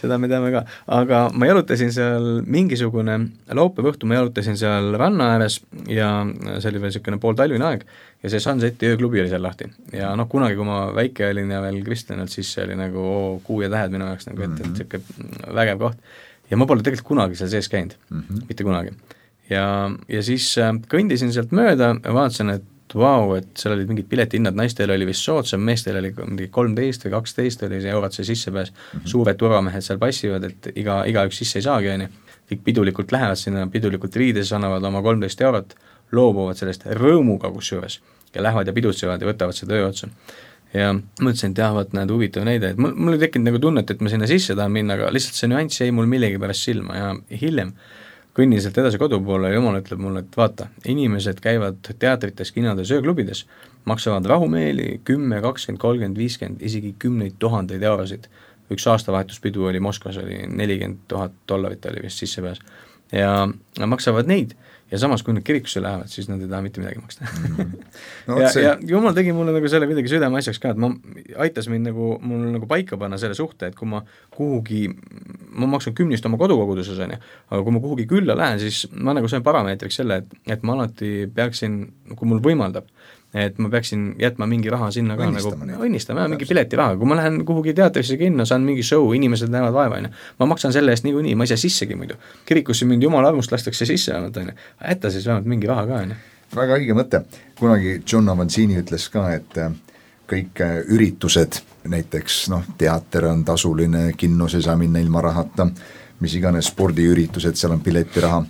Seda me teame ka. Aga ma jalutasin seal mingisugune laupäeva õhtu, ma jalutasin seal ranna ääres ja see oli veel niisugune pooltalvine aeg ja see Sunseti ööklubi oli seal lahti. Ja kunagi, kui ma väike olin ja veel kristlenud, siis see oli nagu kuu ja tähed minu jaoks, nagu, et niisugune vägev koht. Ja ma pole tegelikult kunagi seal sees käinud, mitte kunagi. Ja siis kõndisin sealt mööda ja vaatasin, et vau, et seal olid mingid piletihinnad, naistel oli vist soodsam, meestel oli mingi 13 või 12 oli see eurot see sissepääs, suured turvamehed seal passivad, et igaüks sisse ei saagi, kõik pidulikult lähevad sinna, pidulikult riides annavad oma 13 eurot, loobuvad sellest rõõmuga kusjuures ja lähevad ja pidutsevad ja võtavad seda öö otsa. Ja mõtlesin, et jah, vaat näed huvitav näide, et mul ei tekkinud nagu tunnet, et ma sinna sisse tahan minna, aga lihtsalt see nüanss jäi mul millegi pärast silma ja hiljem kõnnin sealt edasi kodu poole ja jumal ütleb mulle, et vaata, inimesed käivad teatrites, kinades, ööklubides, maksavad rahumeeli 10, 20, 30, 50, isegi 10 000 eurosid. Üks aastavahetuspidu oli Moskvas, oli $40,000 oli vist sissepääs ja maksavad neid ja samas, kui nad kirikusse lähevad, siis nad ei taha mitte midagi maksta. ja jumal tegi mulle nagu selle midagi südame asjaks ka, et aitas mind nagu, mul nagu paika panna selle suhte, et kui ma kuhugi, ma maksan 10 oma kodukoguduses, aga kui ma kuhugi külla lähen, siis ma nagu sain parameetriks selle, et ma alati peaksin, kui mul võimaldab, et ma peaksin jätma mingi raha sinna ka õnnistama, mingi piletiraha, kui ma lähen kuhugi teatrisse kinno, saan mingi show, inimesed näevad vaeva, ma maksan selle eest niikuinii, ma ei saa sissegi muidu, kirikusse mind jumala armust lastakse sisse, jätta siis vähemalt mingi raha ka. Väga õige mõte, kunagi John Avanzini ütles ka, et kõik üritused, näiteks teater on tasuline, kinnos ei saa minna ilma rahata, mis iganes spordiüritused, seal on piletiraha,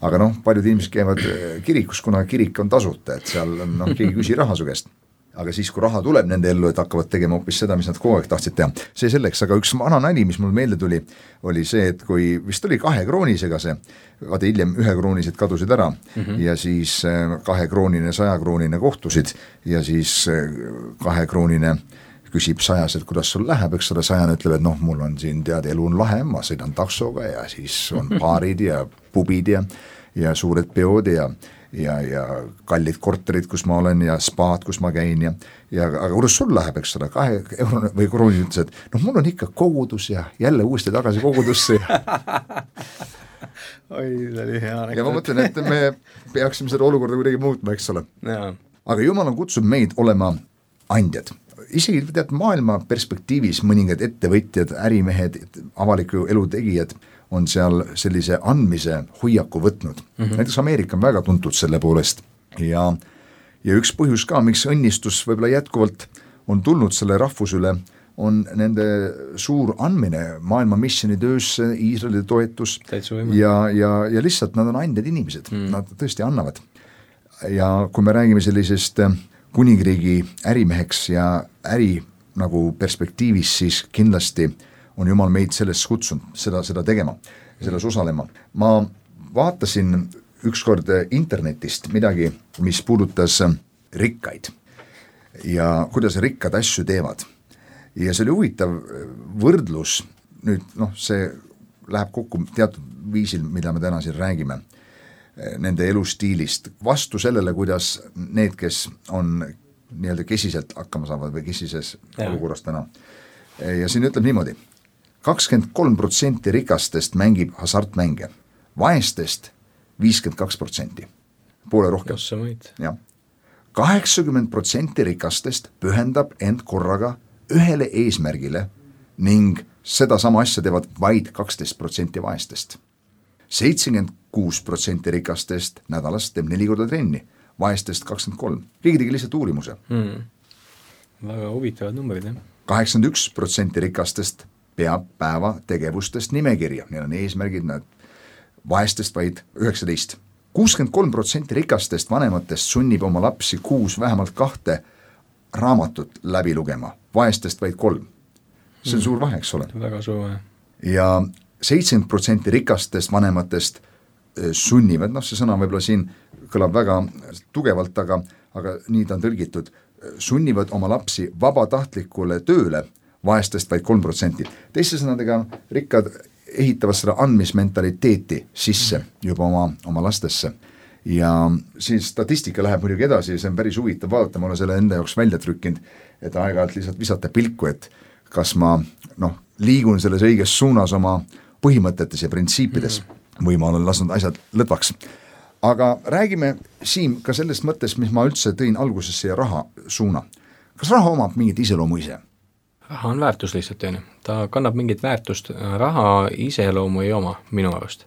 aga paljud inimesed käivad kirikus, kuna kirik on tasuta, et seal keegi küsi raha su käest. Aga siis, kui raha tuleb nende ellu, et hakkavad tegema hoopis seda, mis nad kogu aeg tahtsid teha. See selleks, aga üks vana nali, mis mul meelde tuli, oli see, et kui vist oli 2 kroonisega see, vaata hiljem 1 kroonised kadusid ära ja siis 2 kroonine, 100 kroonine kohtusid ja siis 2 kroonine küsib 100, et kuidas sul läheb, eks ole, 100 ütleb, et mul on siin tead, elu on lahe, ma sõidan taksoga ja siis on baarid ja pubid ja suured peod ja kallid korterid, kus ma olen ja spaad, kus ma käin aga kuidas sul läheb, eks ole, 2 euro või krooni ütles, et mul on ikka kogudus ja jälle uuesti tagasi kogudusse oi, see oli hea näkta. Ja ma mõtlen, et me peaksime seda olukorda kuidagi muutma, eks ole. Aga Jumal on kutsunud meid olema andjad. Isegi tead, maailma perspektiivis mõningad ettevõtjad, ärimehed, avaliku elu tegijad on seal sellise andmise hoiaku võtnud. Näiteks Ameerika on väga tuntud selle poolest ja üks põhjus ka, miks õnnistus võib-olla jätkuvalt on tulnud selle rahvus üle, on nende suur andmine maailma missionitöösse, Iisraeli toetus ja lihtsalt nad on andjad inimesed, nad tõesti annavad. Ja kui me räägime sellisest kuningriigi ärimeheks ja äri nagu perspektiivis, siis kindlasti on Jumal meid sellest kutsunud seda tegema, selles osalema. Ma vaatasin ükskord internetist midagi, mis puudutas rikkaid ja kuidas rikkad asju teevad. Ja see oli huvitav võrdlus, nüüd see läheb kokku teatud viisil, mida me täna siin räägime, nende elustiilist, vastu sellele, kuidas need, kes on nii-öelda kesiselt hakkama saavad või kesises olukorras täna. Ja siin ütleb niimoodi, 23% rikastest mängib hasartmänge, vaestest 52%, poole rohkem. 80% rikastest pühendab end korraga ühele eesmärgile ning seda sama asja teevad vaid 12% vaestest. 76% rikastest nädalast teeb 4 korda trenni, vaestest 23%. Keegi tegi lihtsalt uurimuse. Väga huvitavad numbrid, 81% rikastest peab päeva tegevustest nimekirja, neil on eesmärgid, nad vaestest vaid 19%. 63% rikastest vanematest sunnib oma lapsi kuus vähemalt 2 raamatut läbi lugema, vaestest vaid 3. See on suur vahe, eks ole. Väga suur vahe. Ja 70% rikastest vanematest sunnivad, see sõna võib-olla siin kõlab väga tugevalt, aga nii ta on tõlgitud, sunnivad oma lapsi vabatahtlikule tööle, vaestest vaid 3%. Teiste sõnadega rikkad ehitavad seda andmismentaliteeti sisse juba oma lastesse. Ja siis statistika läheb muidugi edasi, see on päris huvitav vaadata, ma olen selle enda jaoks välja trükkinud, et aeg-ajalt lihtsalt visata pilku, et kas ma liigun selles õiges suunas oma põhimõtetes ja printsiipides või ma olen lasknud asjad lõdvaks. Aga räägime siin ka sellest mõttest, mis ma üldse tõin algusesse ja raha suuna. Kas raha omab mingit iseloomu ise? Raha on väärtus lihtsalt, ta kannab mingit väärtust, raha iseloomu ei oma minu arust.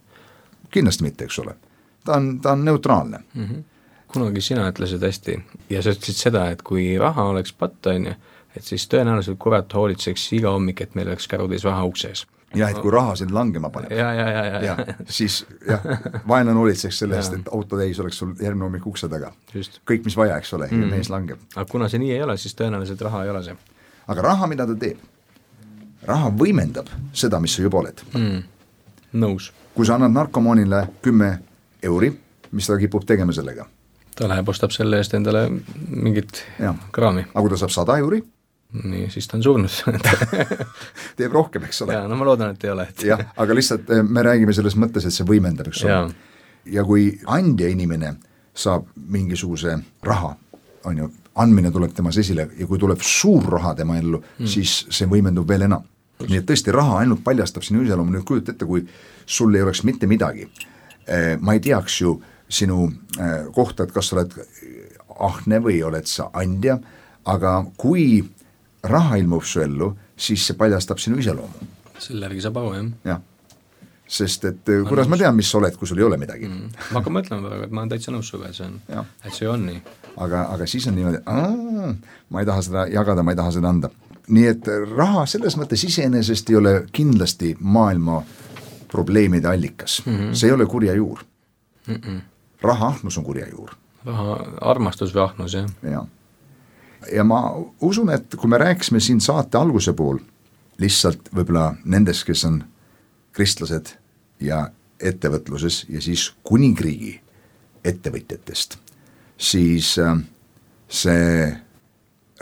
Kindlasti mitte, eks ole. Ta on neutraalne. Kunagi sina ütlesid hästi ja sa ütlesid seda, et kui raha oleks patt, et siis tõenäoliselt kurat hoolitseks iga hommik, et meil oleks kärudes raha uksees. Ja et kui raha sind langema paneb. Ja. Siis vaenlane hoolitseks selle eest, et autotäis oleks sul järgmine hommik ukse taga. Just. Kõik, mis vaja, eks ole, ja mees langeb. Aga kuna see nii ei ole, siis tõenäoliselt raha ei ole see. Aga raha, mida ta teeb? Raha võimendab seda, mis sa juba oled. Nõus. Kui sa annad narkomaanile 10 euri, mis ta kipub tegema sellega? Ta läheb, ostab selle eest endale mingit kraami. Aga kui ta saab 100 euri? Nii, siis ta on surnud. Teeb rohkem, eks ole. No ma loodan, et ei ole. Jah, aga lihtsalt me räägime selles mõttes, et see võimendab, eks ole. Ja kui andja inimene saab mingisuguse raha, on ju, andmine tuleb temas esile ja kui tuleb suur raha tema ellu, siis see võimendub veel enam. Nii et tõesti raha ainult paljastab sinu iseloomu. Nüüd kujut ette, kui sul ei oleks mitte midagi. Ma ei teaks ju sinu kohta, et kas sa oled ahne või oled sa andja, aga kui raha ilmub su ellu, siis see paljastab sinu iseloomu. Selle järgi saab aru, jah. Jah, sest et kuidas ma tean, mis sa oled, kui sul ei ole midagi. Ma hakkan mõtlema praegu, et ma olen täitsa nõus suga, et see on nii. Aga siis on niimoodi, ma ei taha seda jagada, ma ei taha seda anda. Nii et raha selles mõttes iseenesest ei ole kindlasti maailma probleemide allikas. See ei ole kurja juur. Raha ahnus on kurja juur. Raha armastus või ahnus, jah. Ja ma usun, et kui me rääkisime siin saate alguse pool, lihtsalt võib-olla nendest, kes on kristlased ja ettevõtluses ja siis kuningriigi ettevõtjatest, siis see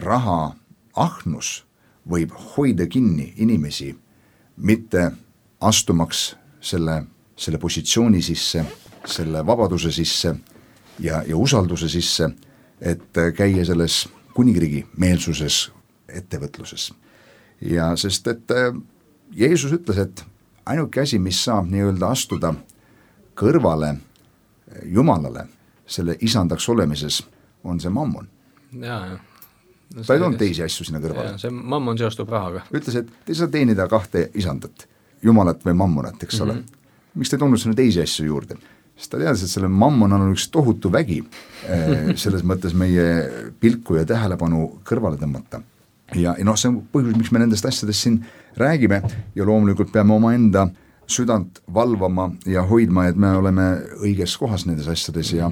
raha ahnus võib hoida kinni inimesi mitte astumaks selle positsiooni sisse, selle vabaduse sisse ja usalduse sisse, et käia selles kuningriigi meelsuses ettevõtluses. Ja sest, et Jeesus ütles, et ainuke asi, mis saab nii-öelda astuda kõrvale Jumalale selle isandaks olemises, on see mammon. Jaa. Ta ei toonud teisi asju sinna kõrvale. See mammon seostub rahaga. Ütles, et te saa teenida 2 isandat, Jumalat või mammonat, eks ole. Miks te ei toonud sinna teisi asju juurde? Sest ta teadis, et selle mammon on üks tohutu vägi selles mõttes meie pilku ja tähelepanu kõrvale tõmmata. Ja see on põhjus, miks me nendest asjadest siin räägime ja loomulikult peame oma enda südant valvama ja hoidma, et me oleme õiges kohas nendes asjades ja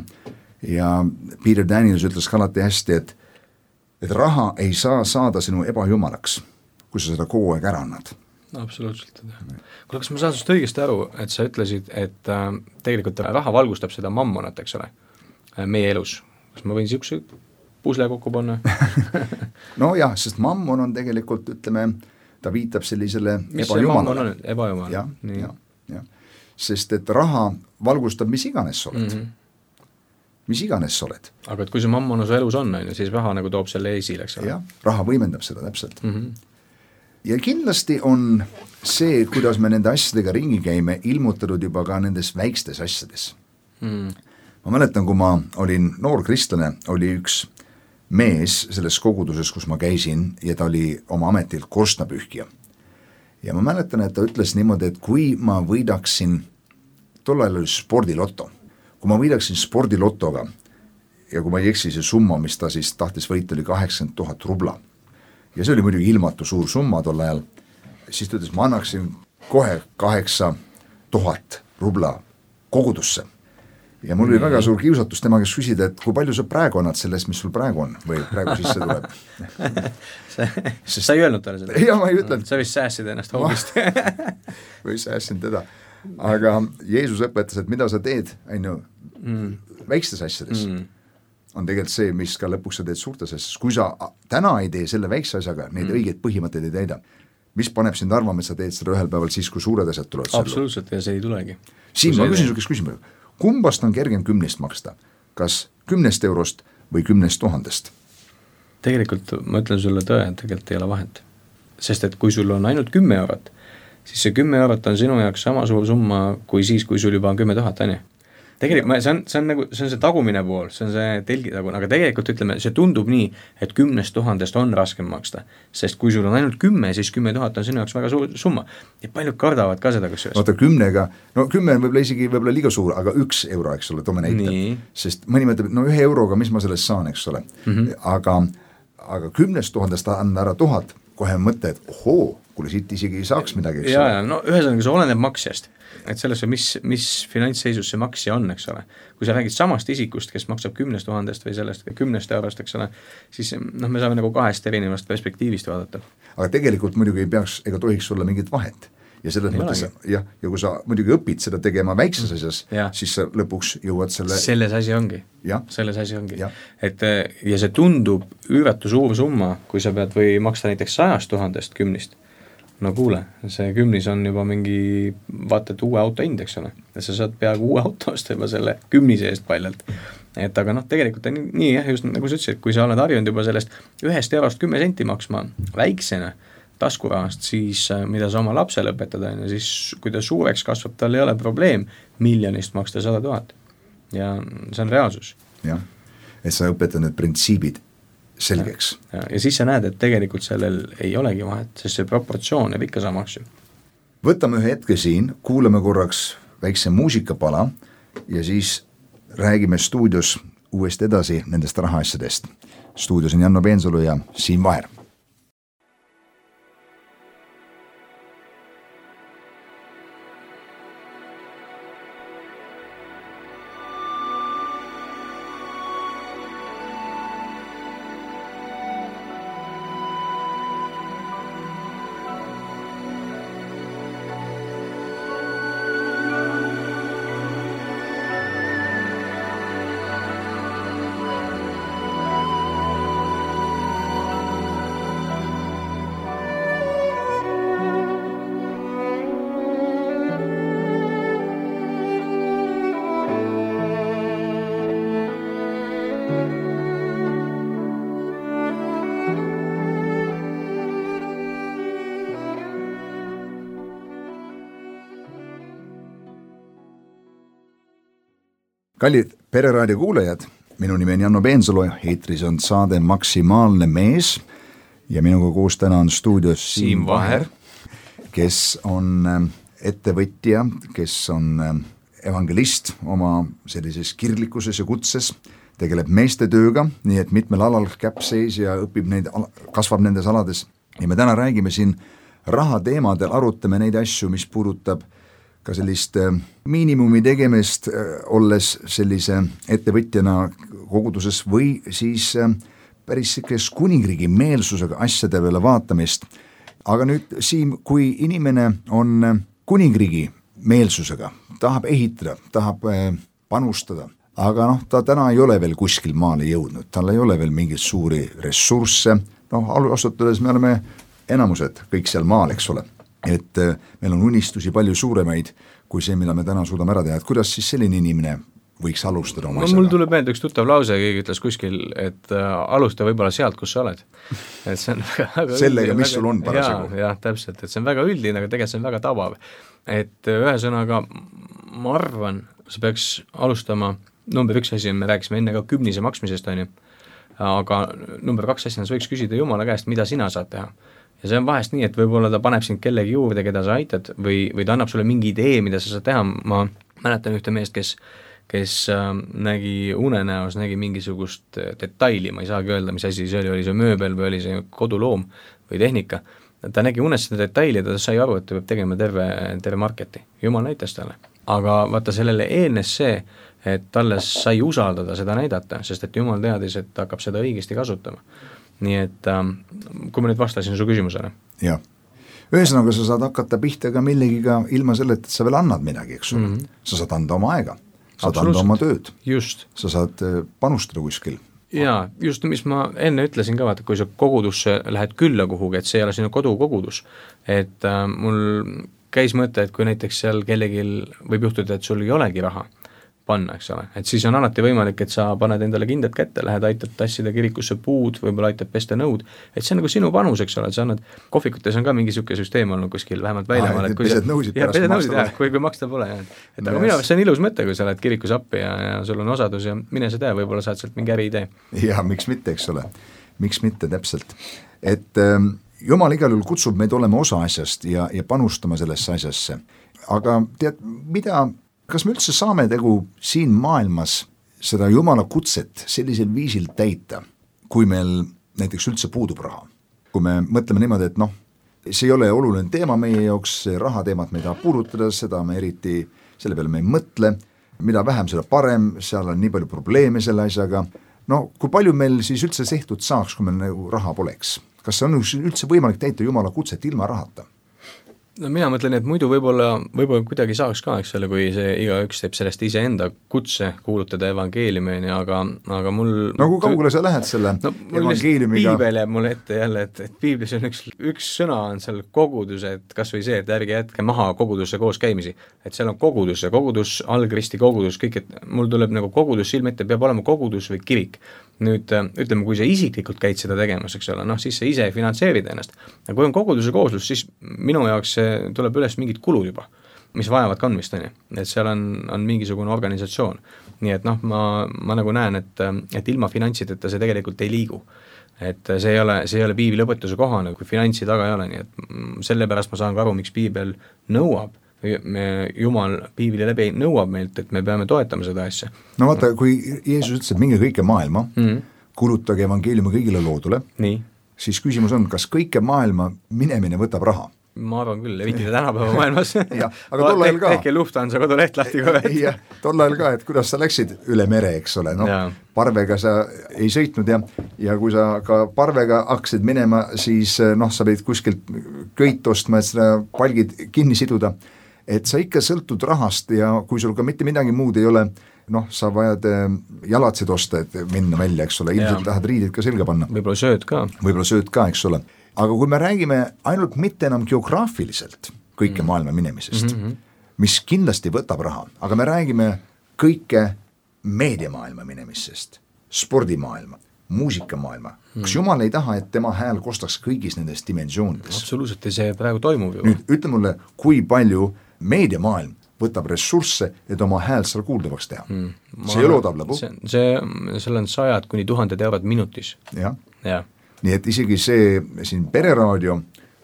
Peter Daniels ütles ka alati hästi, et raha ei saa saada sinu ebajumalaks, kui sa seda kogu aeg ära annad. Absoluutselt. Kuule, kas ma saan sust õigesti aru, et sa ütlesid, et tegelikult raha valgustab seda mammonat, eks ole, meie elus. Kas ma võin siukse pusle kokku panna? No jah, sest mammon on tegelikult, ütleme, ta viitab sellisele mis ebajumalale. Ebajumal? Ja. Sest et raha valgustab mis iganes sa oled. Mis iganes sa oled. Aga et kui see mammon su elus on, siis raha nagu toob selle esile, eks ole? Jah, raha võimendab seda täpselt. Ja kindlasti on see, kuidas me nende asjadega ringi käime, ilmutatud juba ka nendes väikstes asjades. Ma mäletan, kui ma olin noor kristlane, oli üks mees selles koguduses, kus ma käisin ja ta oli oma ametilt korstnapühkija. Ja ma mäletan, et ta ütles niimoodi, et kui ma võidaksin, tol ajal oli spordiloto, kui ma võidaksin spordilotoga ja kui ma ei eksi, see summa, mis ta siis tahtis võita, oli 80 000 rubla. Ja see oli muidugi ilmatu suur summa tol ajal, siis ta ütles, ma annaksin kohe 8 000 rubla kogudusse. ja mul oli väga suur kiusatus tema käest küsida, et kui palju sa praegu annad sellest, mis sul praegu on või praegu sisse tuleb. Sa ei öelnud talle seda? Jah, ma ei ütelnud. Sa vist säästsid ennast hoogist. Või säästsin teda. Aga Jeesus õpetas, et mida sa teed, väikstes asjades, on tegelikult see, mis ka lõpuks sa teed suurtes asjades. Kui sa täna ei tee selle väikse asjaga, neid õigeid põhimõtteid ei täida, mis paneb sind arvama, et sa teed seda ühel päeval siis, kui suured asjad tulevad? Absoluutselt, ja see ei tulegi. Siin ma küsin sukest küsima, kumbast on kergem 10 maksta? Kas 10 eurost või 10 000? Tegelikult ma ütlen sulle tõe, et tegelikult ei ole vahet. Sest et kui sul on ainult 10 eurot, siis see 10 eurot on sinu jaoks sama suur summa kui siis, kui sul juba on 10 000, on ju. Tegelikult see on see tagumine pool, see on see telgitagune, aga tegelikult ütleme, see tundub nii, et 10 000 on raskem maksta, sest kui sul on ainult 10, siis 10 000 on sinu jaoks väga suur summa. Ja paljud kardavad ka seda, kas Vaata 10-ga, no 10 on võib-olla isegi liiga suur, aga 1 euro, eks ole, toome näite. Sest mõni mõtleb, no 1 euroga, mis ma sellest saan, eks ole. Aga 10 000 anda ära 1000, kohe mõte, et ohoo, kuule siit isegi ei saaks midagi, eks ole. No ühesõnaga, see oleneb maksjast, et sellesse, mis finantsseisus see maksja on, eks ole. Kui sa räägid samast isikust, kes maksab 10 000 või sellest 10 eurost, eks ole, siis me saame nagu 2 erinevast perspektiivist vaadata. Aga tegelikult muidugi ei peaks ega tohiks olla mingit vahet. Ja selles mõttes, ja kui sa muidugi õpid seda tegema väikses asjas, siis sa lõpuks jõuad selles asi ongi. Et, ja see tundub üüratu suur summa, kui sa pead või maksta näiteks 100 000 10. No kuule, see 10 on juba mingi, vaata, et uue auto hind, eks ole. Ja sa saad peaaegu uue auto osta juba selle 10 eest paljalt. Et aga tegelikult on nii, just nagu sa ütlesid, kui sa oled harjunud juba sellest 1 eurost 10 senti maksma väiksena taskurahast, siis mida sa oma lapsele õpetada, siis kui ta suureks kasvab, tal ei ole probleem miljonist maksta 100 000. Ja see on reaalsus. Jah, et sa õpetad need printsiibid selgeks. Ja siis sa näed, et tegelikult sellel ei olegi vahet, sest see proportsioon jääb ikka samaks. Võtame ühe hetke siin, kuulame korraks väikse muusikapala ja siis räägime stuudios uuesti edasi nendest rahaasjadest. Stuudios on Janno Peensalu ja Siim Vaher. Kallid Pereraadio kuulajad, minu nimi on Janno Peensalu, eetris on saade Maksimaalne mees ja minuga koos täna on stuudios Siim Vaher, kes on ettevõtja, kes on evangelist oma sellises kirglikuses ja kutses, tegeleb meeste tööga, nii et mitmel alal käpseis ja õpib neid, kasvab nendes alades. Ja me täna räägime siin raha teemadel, arutame neid asju, mis puudutab ka sellist miinimumi tegemist, olles sellise ettevõtjana koguduses või siis päris kuningriigi meelsusega asjade peale vaatamist. Aga nüüd, Siim, kui inimene on kuningriigi meelsusega, tahab ehitada, tahab panustada, aga ta täna ei ole veel kuskil maale jõudnud, tal ei ole veel mingeid suuri ressursse, asutades me oleme enamused kõik seal maal, eks ole. Et meil on unistusi palju suuremaid kui see, mida me täna suudame ära teha, et kuidas siis selline inimene võiks alustada oma asjaga? Mul tuleb meelde üks tuttav lause, keegi ütles kuskil, et alusta võib-olla sealt, kus sa oled. Et see on väga sellega, mis sul on parasjagu. Jah, täpselt, et see on väga üldine, aga tegelikult see on väga tabav. Et ühesõnaga, ma arvan, sa peaks alustama, number 1 asi, me rääkisime enne ka 10 maksmisest, on ju, aga number 2 asjana sa võiks küsida Jumala käest, mida sina saad teha. Ja see on vahest nii, et võib-olla ta paneb sind kellegi juurde, keda sa aitad või ta annab sulle mingi idee, mida sa saad teha. Ma mäletan ühte meest, kes nägi unenäos, nägi mingisugust detaili, ma ei saagi öelda, mis asi see oli see mööbel või oli see koduloom või tehnika ta nägi unes seda detaili ja ta sai aru, et ta peab tegema terve marketi. Jumal näitas talle. Aga vaata, sellele eelnes see, et talle sai usaldada seda näidata, sest et Jumal teadis, et ta hakkab seda õigesti kasutama. Nii et kui ma nüüd vastasin su küsimusele. Jah. Ühesõnaga, sa saad hakata pihta ka millegiga ilma selle, et sa veel annad midagi, eks ole. Sa saad anda oma aega, saad anda oma tööd. Just. Sa saad panustada kuskil. Jaa, just mis ma enne ütlesin ka, vaata, kui sa kogudusse lähed külla kuhugi, et see ei ole sinu kodukogudus, et mul käis mõte, et kui näiteks seal kellelgi võib juhtuda, et sul ei olegi raha panna, eks ole, et siis on alati võimalik, et sa paned endale kindad kätte, lähed aitad tassida kirikusse puud, võib-olla aitad pesta nõud, et see on nagu sinu panus, eks ole, et sa annad, kohvikutes on ka mingi siuke süsteem olnud kuskil, vähemalt väljamaal, et kui pesed nõusid pärast maksta pole. Kui maksta pole, et aga minu see on ilus mõte, kui sa lähed kirikus appi ja sul on osadus ja mine sa tea, võib-olla saad sealt mingi äriidee. Ja miks mitte, eks ole, miks mitte täpselt, et Jumal igal juhul kutsub meid olema osa asjast ja panustama sellesse asjasse, aga tead, kas me üldse saame siin maailmas seda Jumala kutset sellisel viisil täita, kui meil näiteks üldse puudub raha? Kui me mõtleme niimoodi, et see ei ole oluline teema meie jaoks, see rahateemat me ei taha puudutada, seda me eriti, selle peale me ei mõtle, mida vähem, seda parem, seal on nii palju probleeme selle asjaga, kui palju meil siis üldse tehtud saaks, kui meil nagu raha poleks? Kas see on üldse võimalik täita Jumala kutset ilma rahata? No mina mõtlen, et muidu võib-olla kuidagi saaks ka, eks ole, kui see igaüks teeb sellest iseenda kutse kuulutada evangeeliumini, aga mul... No kui kaugele sa lähed selle evangeeliumiga? Piibel jääb mulle ette jälle, et piiblis on üks sõna on seal kogudus, et kas või see, et ärge jätke maha kogudusse koos käimisi, et seal on kogudus ja kogudus, algristi kogudus, kõik, et mul tuleb nagu kogudus silme ette, peab olema kogudus või kirik. Nüüd ütleme, kui sa isiklikult käid seda tegemas, eks ole, siis sa ise finantseerid ennast. Ja kui on koguduse kooslus, siis minu jaoks tuleb üles mingid kulud juba, mis vajavad kandmist, et seal on mingisugune organisatsioon. Nii et ma nagu näen, et ilma finantsideta see tegelikult ei liigu. Et see ei ole piibli õpetuse kohane, kui finantsi taga ei ole, nii et sellepärast ma saan ka aru, miks piibel nõuab, Jumal piibli läbi nõuab meilt, et me peame toetama seda asja. No vaata, kui Jeesus ütles, et minge kõike maailma, kulutage evangeeliumi kõigile loodule, siis küsimus on, kas kõike maailma minemine võtab raha? Ma arvan küll, eriti tänapäeva maailmas. Aga tol ajal ka. Tehke Lufthansa koduleht lahti kohe. Ja, tol ajal ka, et kuidas sa läksid üle mere, eks ole, parvega sa ei sõitnud ja kui sa ka parvega hakkasid minema, siis sa pidid kuskilt köit ostma, et seda palgid kinni siduda, et sa ikka sõltud rahast ja kui sul ka mitte midagi muud ei ole, sa vajad jalatsid osta, et minna välja, eks ole, ilmselt tahad riidid ka selga panna. Võib-olla sööd ka, eks ole. Aga kui me räägime ainult mitte enam geograafiliselt kõike maailma minemisest, mis kindlasti võtab raha, aga me räägime kõike meediamaailma minemisest, spordimaailma, muusikamaailma. Kas Jumal ei taha, et tema hääl kostaks kõigis nendes dimensioonides? Absoluutselt, see praegu toimub ju. Nüüd ütle mulle, kui palju meediamaailm võtab ressursse, et oma hääl seal kuuldavaks teha. See ei ole odav lõbu. Seal on 100 kuni 1000 eurot minutis. Ja. Nii et isegi see siin pereraadio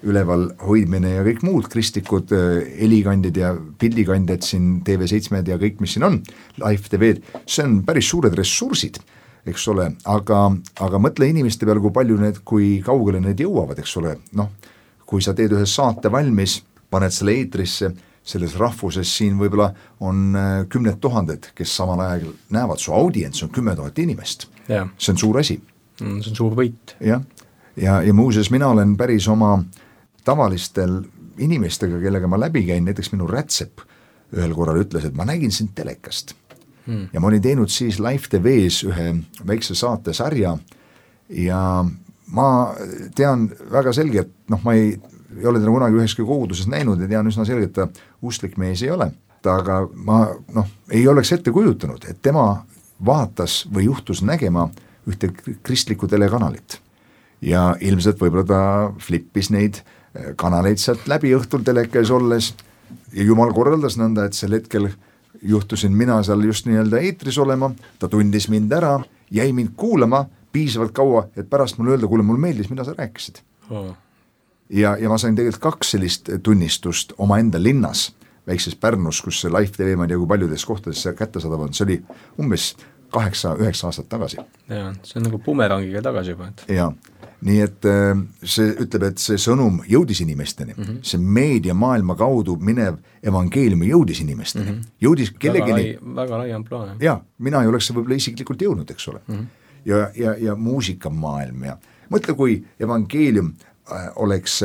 üleval hoidmine ja kõik muud kristlikud helikandid ja pildikandjad siin TV7 ja kõik, mis siin on, Live TV-d, see on päris suured ressursid, eks ole, aga mõtle inimeste peale, kui kaugele need jõuavad, eks ole, kui sa teed ühe saate valmis, paned selle eetrisse, selles rahvuses siin võib-olla on 10 000, kes samal ajal näevad, su audients on 10 000 inimest. See on suur asi. See on suur võit. Ja muuseas, mina olen päris oma tavalistel inimestega, kellega ma läbi käin, näiteks minu rätsep ühel korral ütles, et ma nägin sind telekast. Ja ma olin teinud siis Live TV-s ühe väikse saate sarja ja ma tean väga selgelt, ma ei ole teda kunagi üheski koguduses näinud ja tean üsna selgelt, et ta usklik mees ei ole. Aga ma ei oleks ette kujutanud, et tema vaatas või juhtus nägema ühte kristlikku telekanalit. Ja ilmselt võib-olla ta flippis neid kanaleid sealt läbi õhtul telekas olles ja Jumal korraldas nõnda, et sel hetkel juhtusin mina seal just nii-öelda eetris olema, ta tundis mind ära, jäi mind kuulama piisavalt kaua, et pärast mulle öelda, kuule, mul meeldis, mida sa rääkisid. Ja ma sain tegelikult 2 sellist tunnistust oma enda linnas, väikses Pärnus, kus see Live TV, ma ei tea, kui paljudes kohtades see kättesaadav on, see oli umbes 8-9 aastat tagasi. Ja, see on nagu bumerangiga tagasi juba. Ja, nii et see ütleb, et see sõnum jõudis inimesteni, see meediamaailma kaudu minev evangeeliumi jõudis inimesteni, jõudis kellegini väga lai amploa. Ja, mina ei oleks võib-olla isiklikult jõudnud, eks ole. Ja muusikamaailm ja mõtle, kui evangeelium oleks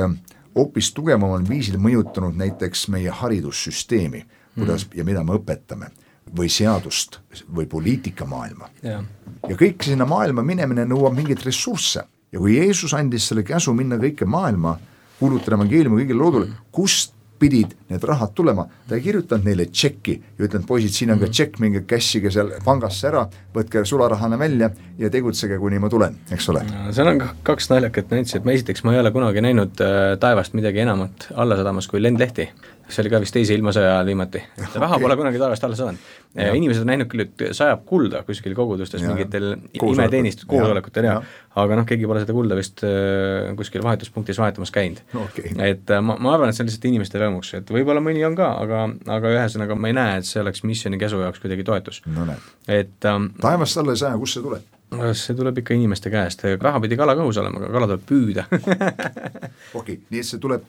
hoopis tugevamal viisil mõjutanud näiteks meie haridussüsteemi, kuidas ja mida me õpetame, või seadust või poliitikamaailma. Ja kõik sinna maailma minemine nõuab mingit ressursse. Ja kui Jeesus andis selle käsu minna kõike maailma, kuulutada evangeeliumi kõigile loodule, kust pidid need rahad tulema, ta ei kirjutanud neile tšekki ja ütlenud, poisid, siin on ka tšekk, minge kässige seal pangasse ära, võtke sularahana välja ja tegutsege, kuni ma tulen, eks ole. Seal on kaks naljakat näitsi, et esiteks ma ei ole kunagi näinud taevast midagi enamat alla sadamas kui lendlehti. See oli ka vist teise ilmasõja viimati. Raha pole kunagi taevast alla sadanud. Inimesed on näinud küll, et sajab kulda kuskil kogudustes mingitel imeteenist koosolekutel, aga keegi pole seda kulda vist kuskil vahetuspunktis vahetamas käinud. Et ma arvan, et see on lihtsalt inimeste rõõmuks, et võib-olla mõni on ka, aga ühesõnaga ma ei näe, et see oleks missiooni käsu jaoks kuidagi toetus. Taevast alla ei saja, kus see tuleb? See tuleb ikka inimeste käest, raha pidi kala kõhus olema, aga kala tuleb püüda. Nii et see tuleb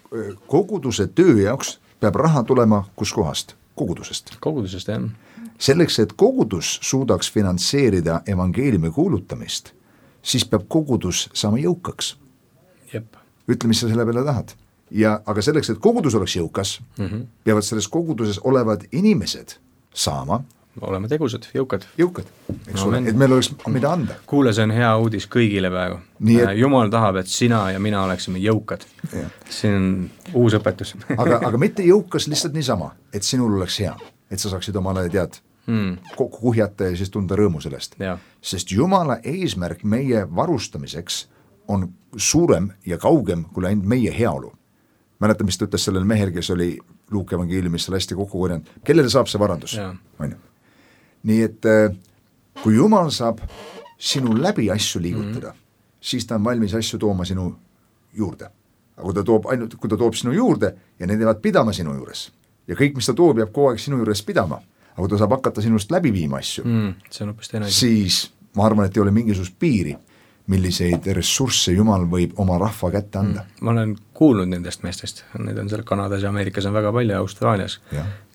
koguduse töö jaoks, peab raha tulema kus kohast? Kogudusest. Kogudusest, jah. Selleks, et kogudus suudaks finantseerida evangeeliumi kuulutamist, siis peab kogudus saama jõukaks. Jep. Ütle, mis sa selle peale tahad. Aga selleks, et kogudus oleks jõukas, peavad selles koguduses olevad inimesed saama oleme tegusad, jõukad, eks ole, et meil oleks mida anda. Kuule, see on hea uudis kõigile praegu. Jumal tahab, et sina ja mina oleksime jõukad. See on uus õpetus. aga mitte jõukas lihtsalt niisama, et sinul oleks hea, et sa saaksid omale kokku kuhjata ja siis tunda rõõmu sellest. Sest Jumala eesmärk meie varustamiseks on suurem ja kaugem kui ainult meie heaolu. Mäletan, mis ta ütles sellel mehel, kes oli Luuke evangeeliumis seal hästi kokku korjanud. Kellele saab see varandus? Nii et kui Jumal saab sinu läbi asju liigutada, siis ta on valmis asju tooma sinu juurde. Aga kui ta toob sinu juurde ja need jäävad pidama sinu juures ja kõik, mis ta toob, jääb kogu aeg sinu juures pidama, aga kui ta saab hakata sinust läbi viima asju, siis ma arvan, et ei ole mingisugust piiri, milliseid ressursse Jumal võib oma rahva kätte anda. Ma olen kuulnud nendest meestest, need on seal Kanadas ja Ameerikas on väga palju, Austraalias,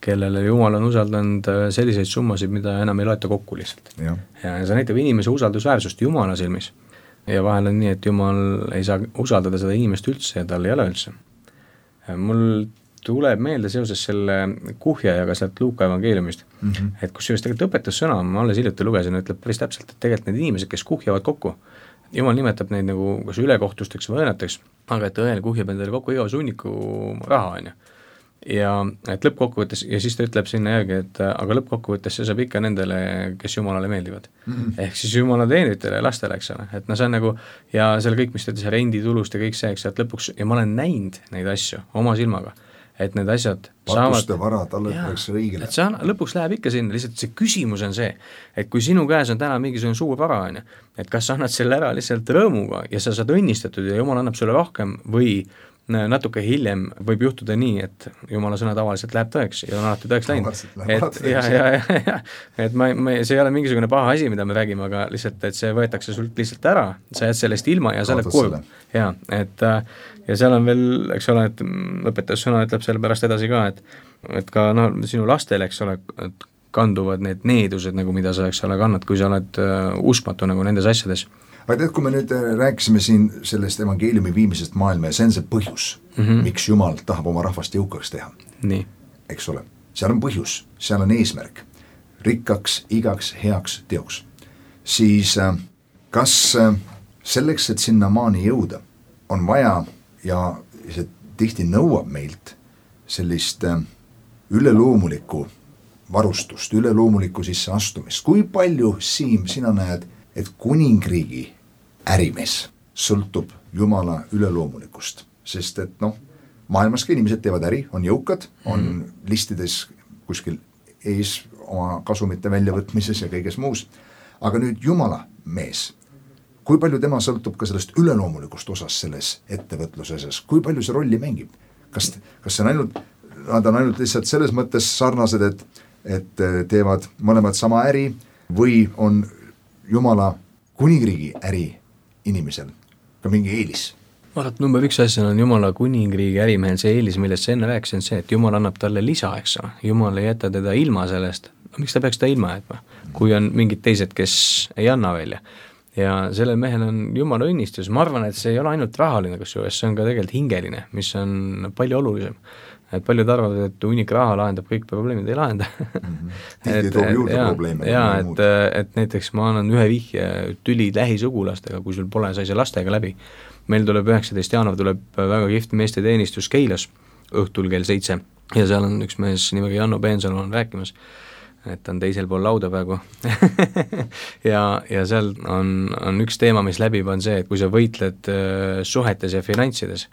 kellele Jumal on usaldanud selliseid summasid, mida enam ei loeta kokku lihtsalt. Ja see näitab inimese usaldusväärsust Jumala silmis. Ja vahel on nii, et Jumal ei saa usaldada seda inimest üldse ja tal ei ole üldse. Mul tuleb meelde seoses selle kuhjajaga sealt Luuka evangeeliumist, et kus just tegelikult õpetussõna, ma alles hiljuti lugesin, ütleb päris täpselt, et tegelikult need inimesed, kes kuhjavad kokku, Jumal nimetab neid nagu kas ülekohtusteks või õõnateks, aga et õel kuhjab endale kokku iga sunniku raha, on ju. Ja et lõppkokkuvõttes, ja siis ta ütleb sinna järgi, et aga lõppkokkuvõttes see saab ikka nendele, kes Jumalale meeldivad. Ehk siis Jumala teenritele ja lastele, eks ole, et see on nagu, ja seal kõik, mis ta ütles, renditulust ja kõik see, eks, et lõpuks, ja ma olen näinud neid asju oma silmaga, et need asjad patuste vara, talle peaks õigele. Et see lõpuks läheb ikka sinna, lihtsalt see küsimus on see, et kui sinu käes on täna mingisugune suur vara, et kas sa annad selle ära lihtsalt rõõmuga ja sa saad õnnistatud ja Jumal annab sulle rohkem või natuke hiljem võib juhtuda nii, et Jumala sõna tavaliselt läheb tõeks ja on alati tõeks läinud. Et see ei ole mingisugune paha asi, mida me räägime, aga lihtsalt, et see võetakse sult lihtsalt ära, sa jääd sellest ilma ja sa oled kurb. Ja seal on veel, eks ole, et õpetussõna ütleb selle pärast edasi ka, et ka sinu lastel, eks ole, et kanduvad need needused, nagu mida sa, eks ole, kannad, kui sa oled uskmatu nagu nendes asjades. Aga tead, kui me nüüd rääkisime siin sellest evangeeliumi viimisest maailma ja see on see põhjus, miks Jumal tahab oma rahvast jõukaks teha. Nii. Eks ole, seal on põhjus, seal on eesmärk, rikkaks, igaks, heaks teoks. Siis kas selleks, et sinna maani jõuda, on vaja ja see tihti nõuab meilt sellist üleloomulikku varustust, üleloomulikku sisse astumist. Kui palju, Siim, sina näed, et kuningriigi ärimees sõltub Jumala üleloomulikust, sest et maailmaski inimesed teevad äri, on jõukad, on listides kuskil ees oma kasumite väljavõtmises ja kõiges muus, aga nüüd Jumala mees, kui palju tema sõltub ka sellest üleloomulikust osas selles ettevõtluses, kui palju see rolli mängib? Kas see on nad on ainult lihtsalt selles mõttes sarnased, et teevad mõlemad sama äri või on Jumala kuningriigi äri inimesel ka mingi eelis. Vaat number 1 asja on Jumala kuningriigi ärimehel see eelis, millest see enne rääkis, on see, et Jumal annab talle lisa, eks ole. Jumal ei jäta teda ilma sellest, miks ta peaks ta ilma jätma, kui on mingid teised, kes ei anna välja. Ja sellel mehel on Jumala õnnistus, ma arvan, et see ei ole ainult rahaline, kusjuures see on ka tegelikult hingeline, mis on palju olulisem. Et paljud arvavad, et hunnik raha lahendab kõik probleemid, ei lahenda. Tihti toob juurde probleeme. Et näiteks ma annan ühe vihje tüli lähisugulastega, kui sul pole, sai see lastega läbi. Meil tuleb 19. jaanuar tuleb väga kihvt meeste teenistus Keilas õhtul kell 7 ja seal on üks mees nimega Janno Peensalu on rääkimas, et on teisel pool lauda praegu ja seal on üks teema, mis läbib, on see, et kui sa võitled suhetes ja finantsides,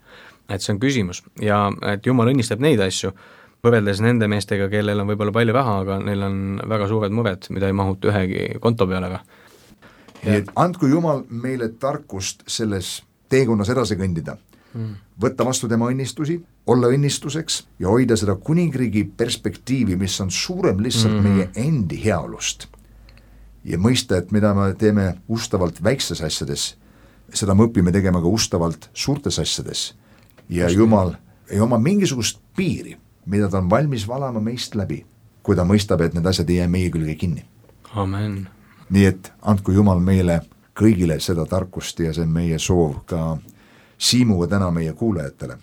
et see on küsimus ja et Jumal õnnistab neid asju, võrreldes nende meestega, kellel on võib-olla palju raha, aga neil on väga suured mured, mida ei mahuta ühegi konto peale. Nii et andku Jumal meile tarkust selles teekonnas edasi kõndida, võtta vastu tema õnnistusi, olla õnnistuseks ja hoida seda kuningriigi perspektiivi, mis on suurem lihtsalt meie endi heaolust. Ja mõista, et mida me teeme ustavalt väikstes asjades, seda me õpime tegema ka ustavalt suurtes asjades. Ja Jumal ei oma mingisugust piiri, mida ta on valmis valama meist läbi, kui ta mõistab, et need asjad ei jää meie külge kinni. Amen. Nii et andku Jumal meile kõigile seda tarkust ja see on meie soov ka Siimuga täna meie kuulajatele.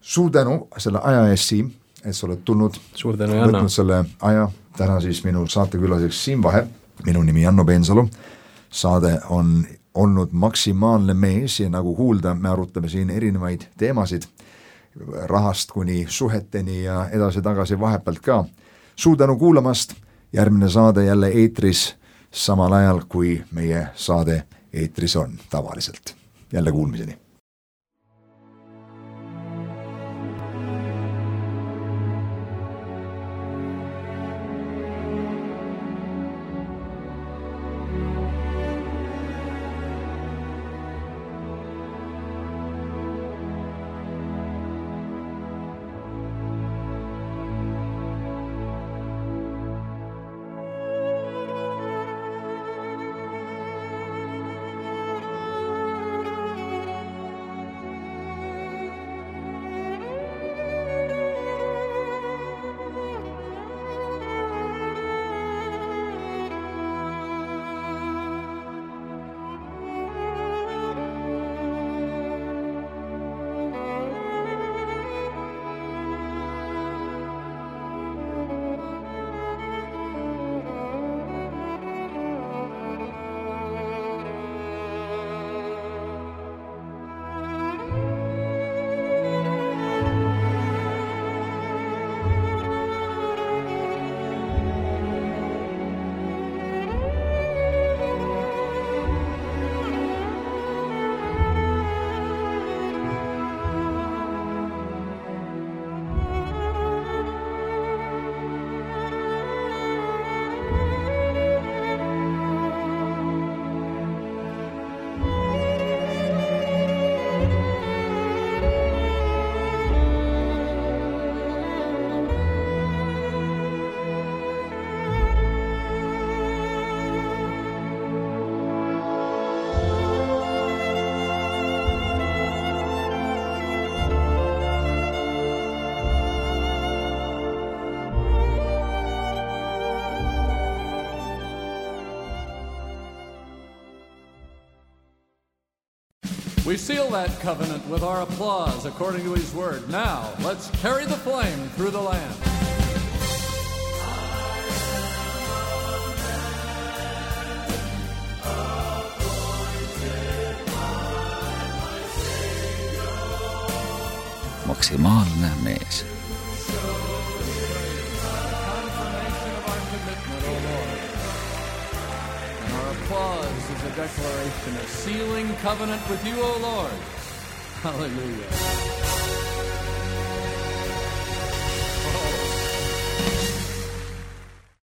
Suur tänu selle aja eest, Siim, et sa oled tulnud, võtnud selle aja. Täna siis minu saatekülaseks Siim Vaher, minu nimi Janno Peensalu. Saade on olnud maksimaalne mees ja nagu kuulda, me arutame siin erinevaid teemasid, rahast kuni suheteni ja edasi-tagasi vahepealt ka. Suur tänu kuulamast, järgmine saade jälle eetris samal ajal, kui meie saade eetris on tavaliselt. Jälle kuulmiseni. We seal that covenant with our applause according to his word. Now, let's carry the flame through the land. Maksimaalne mees. Applause is a declaration of sealing covenant with you, O Lord. Hallelujah.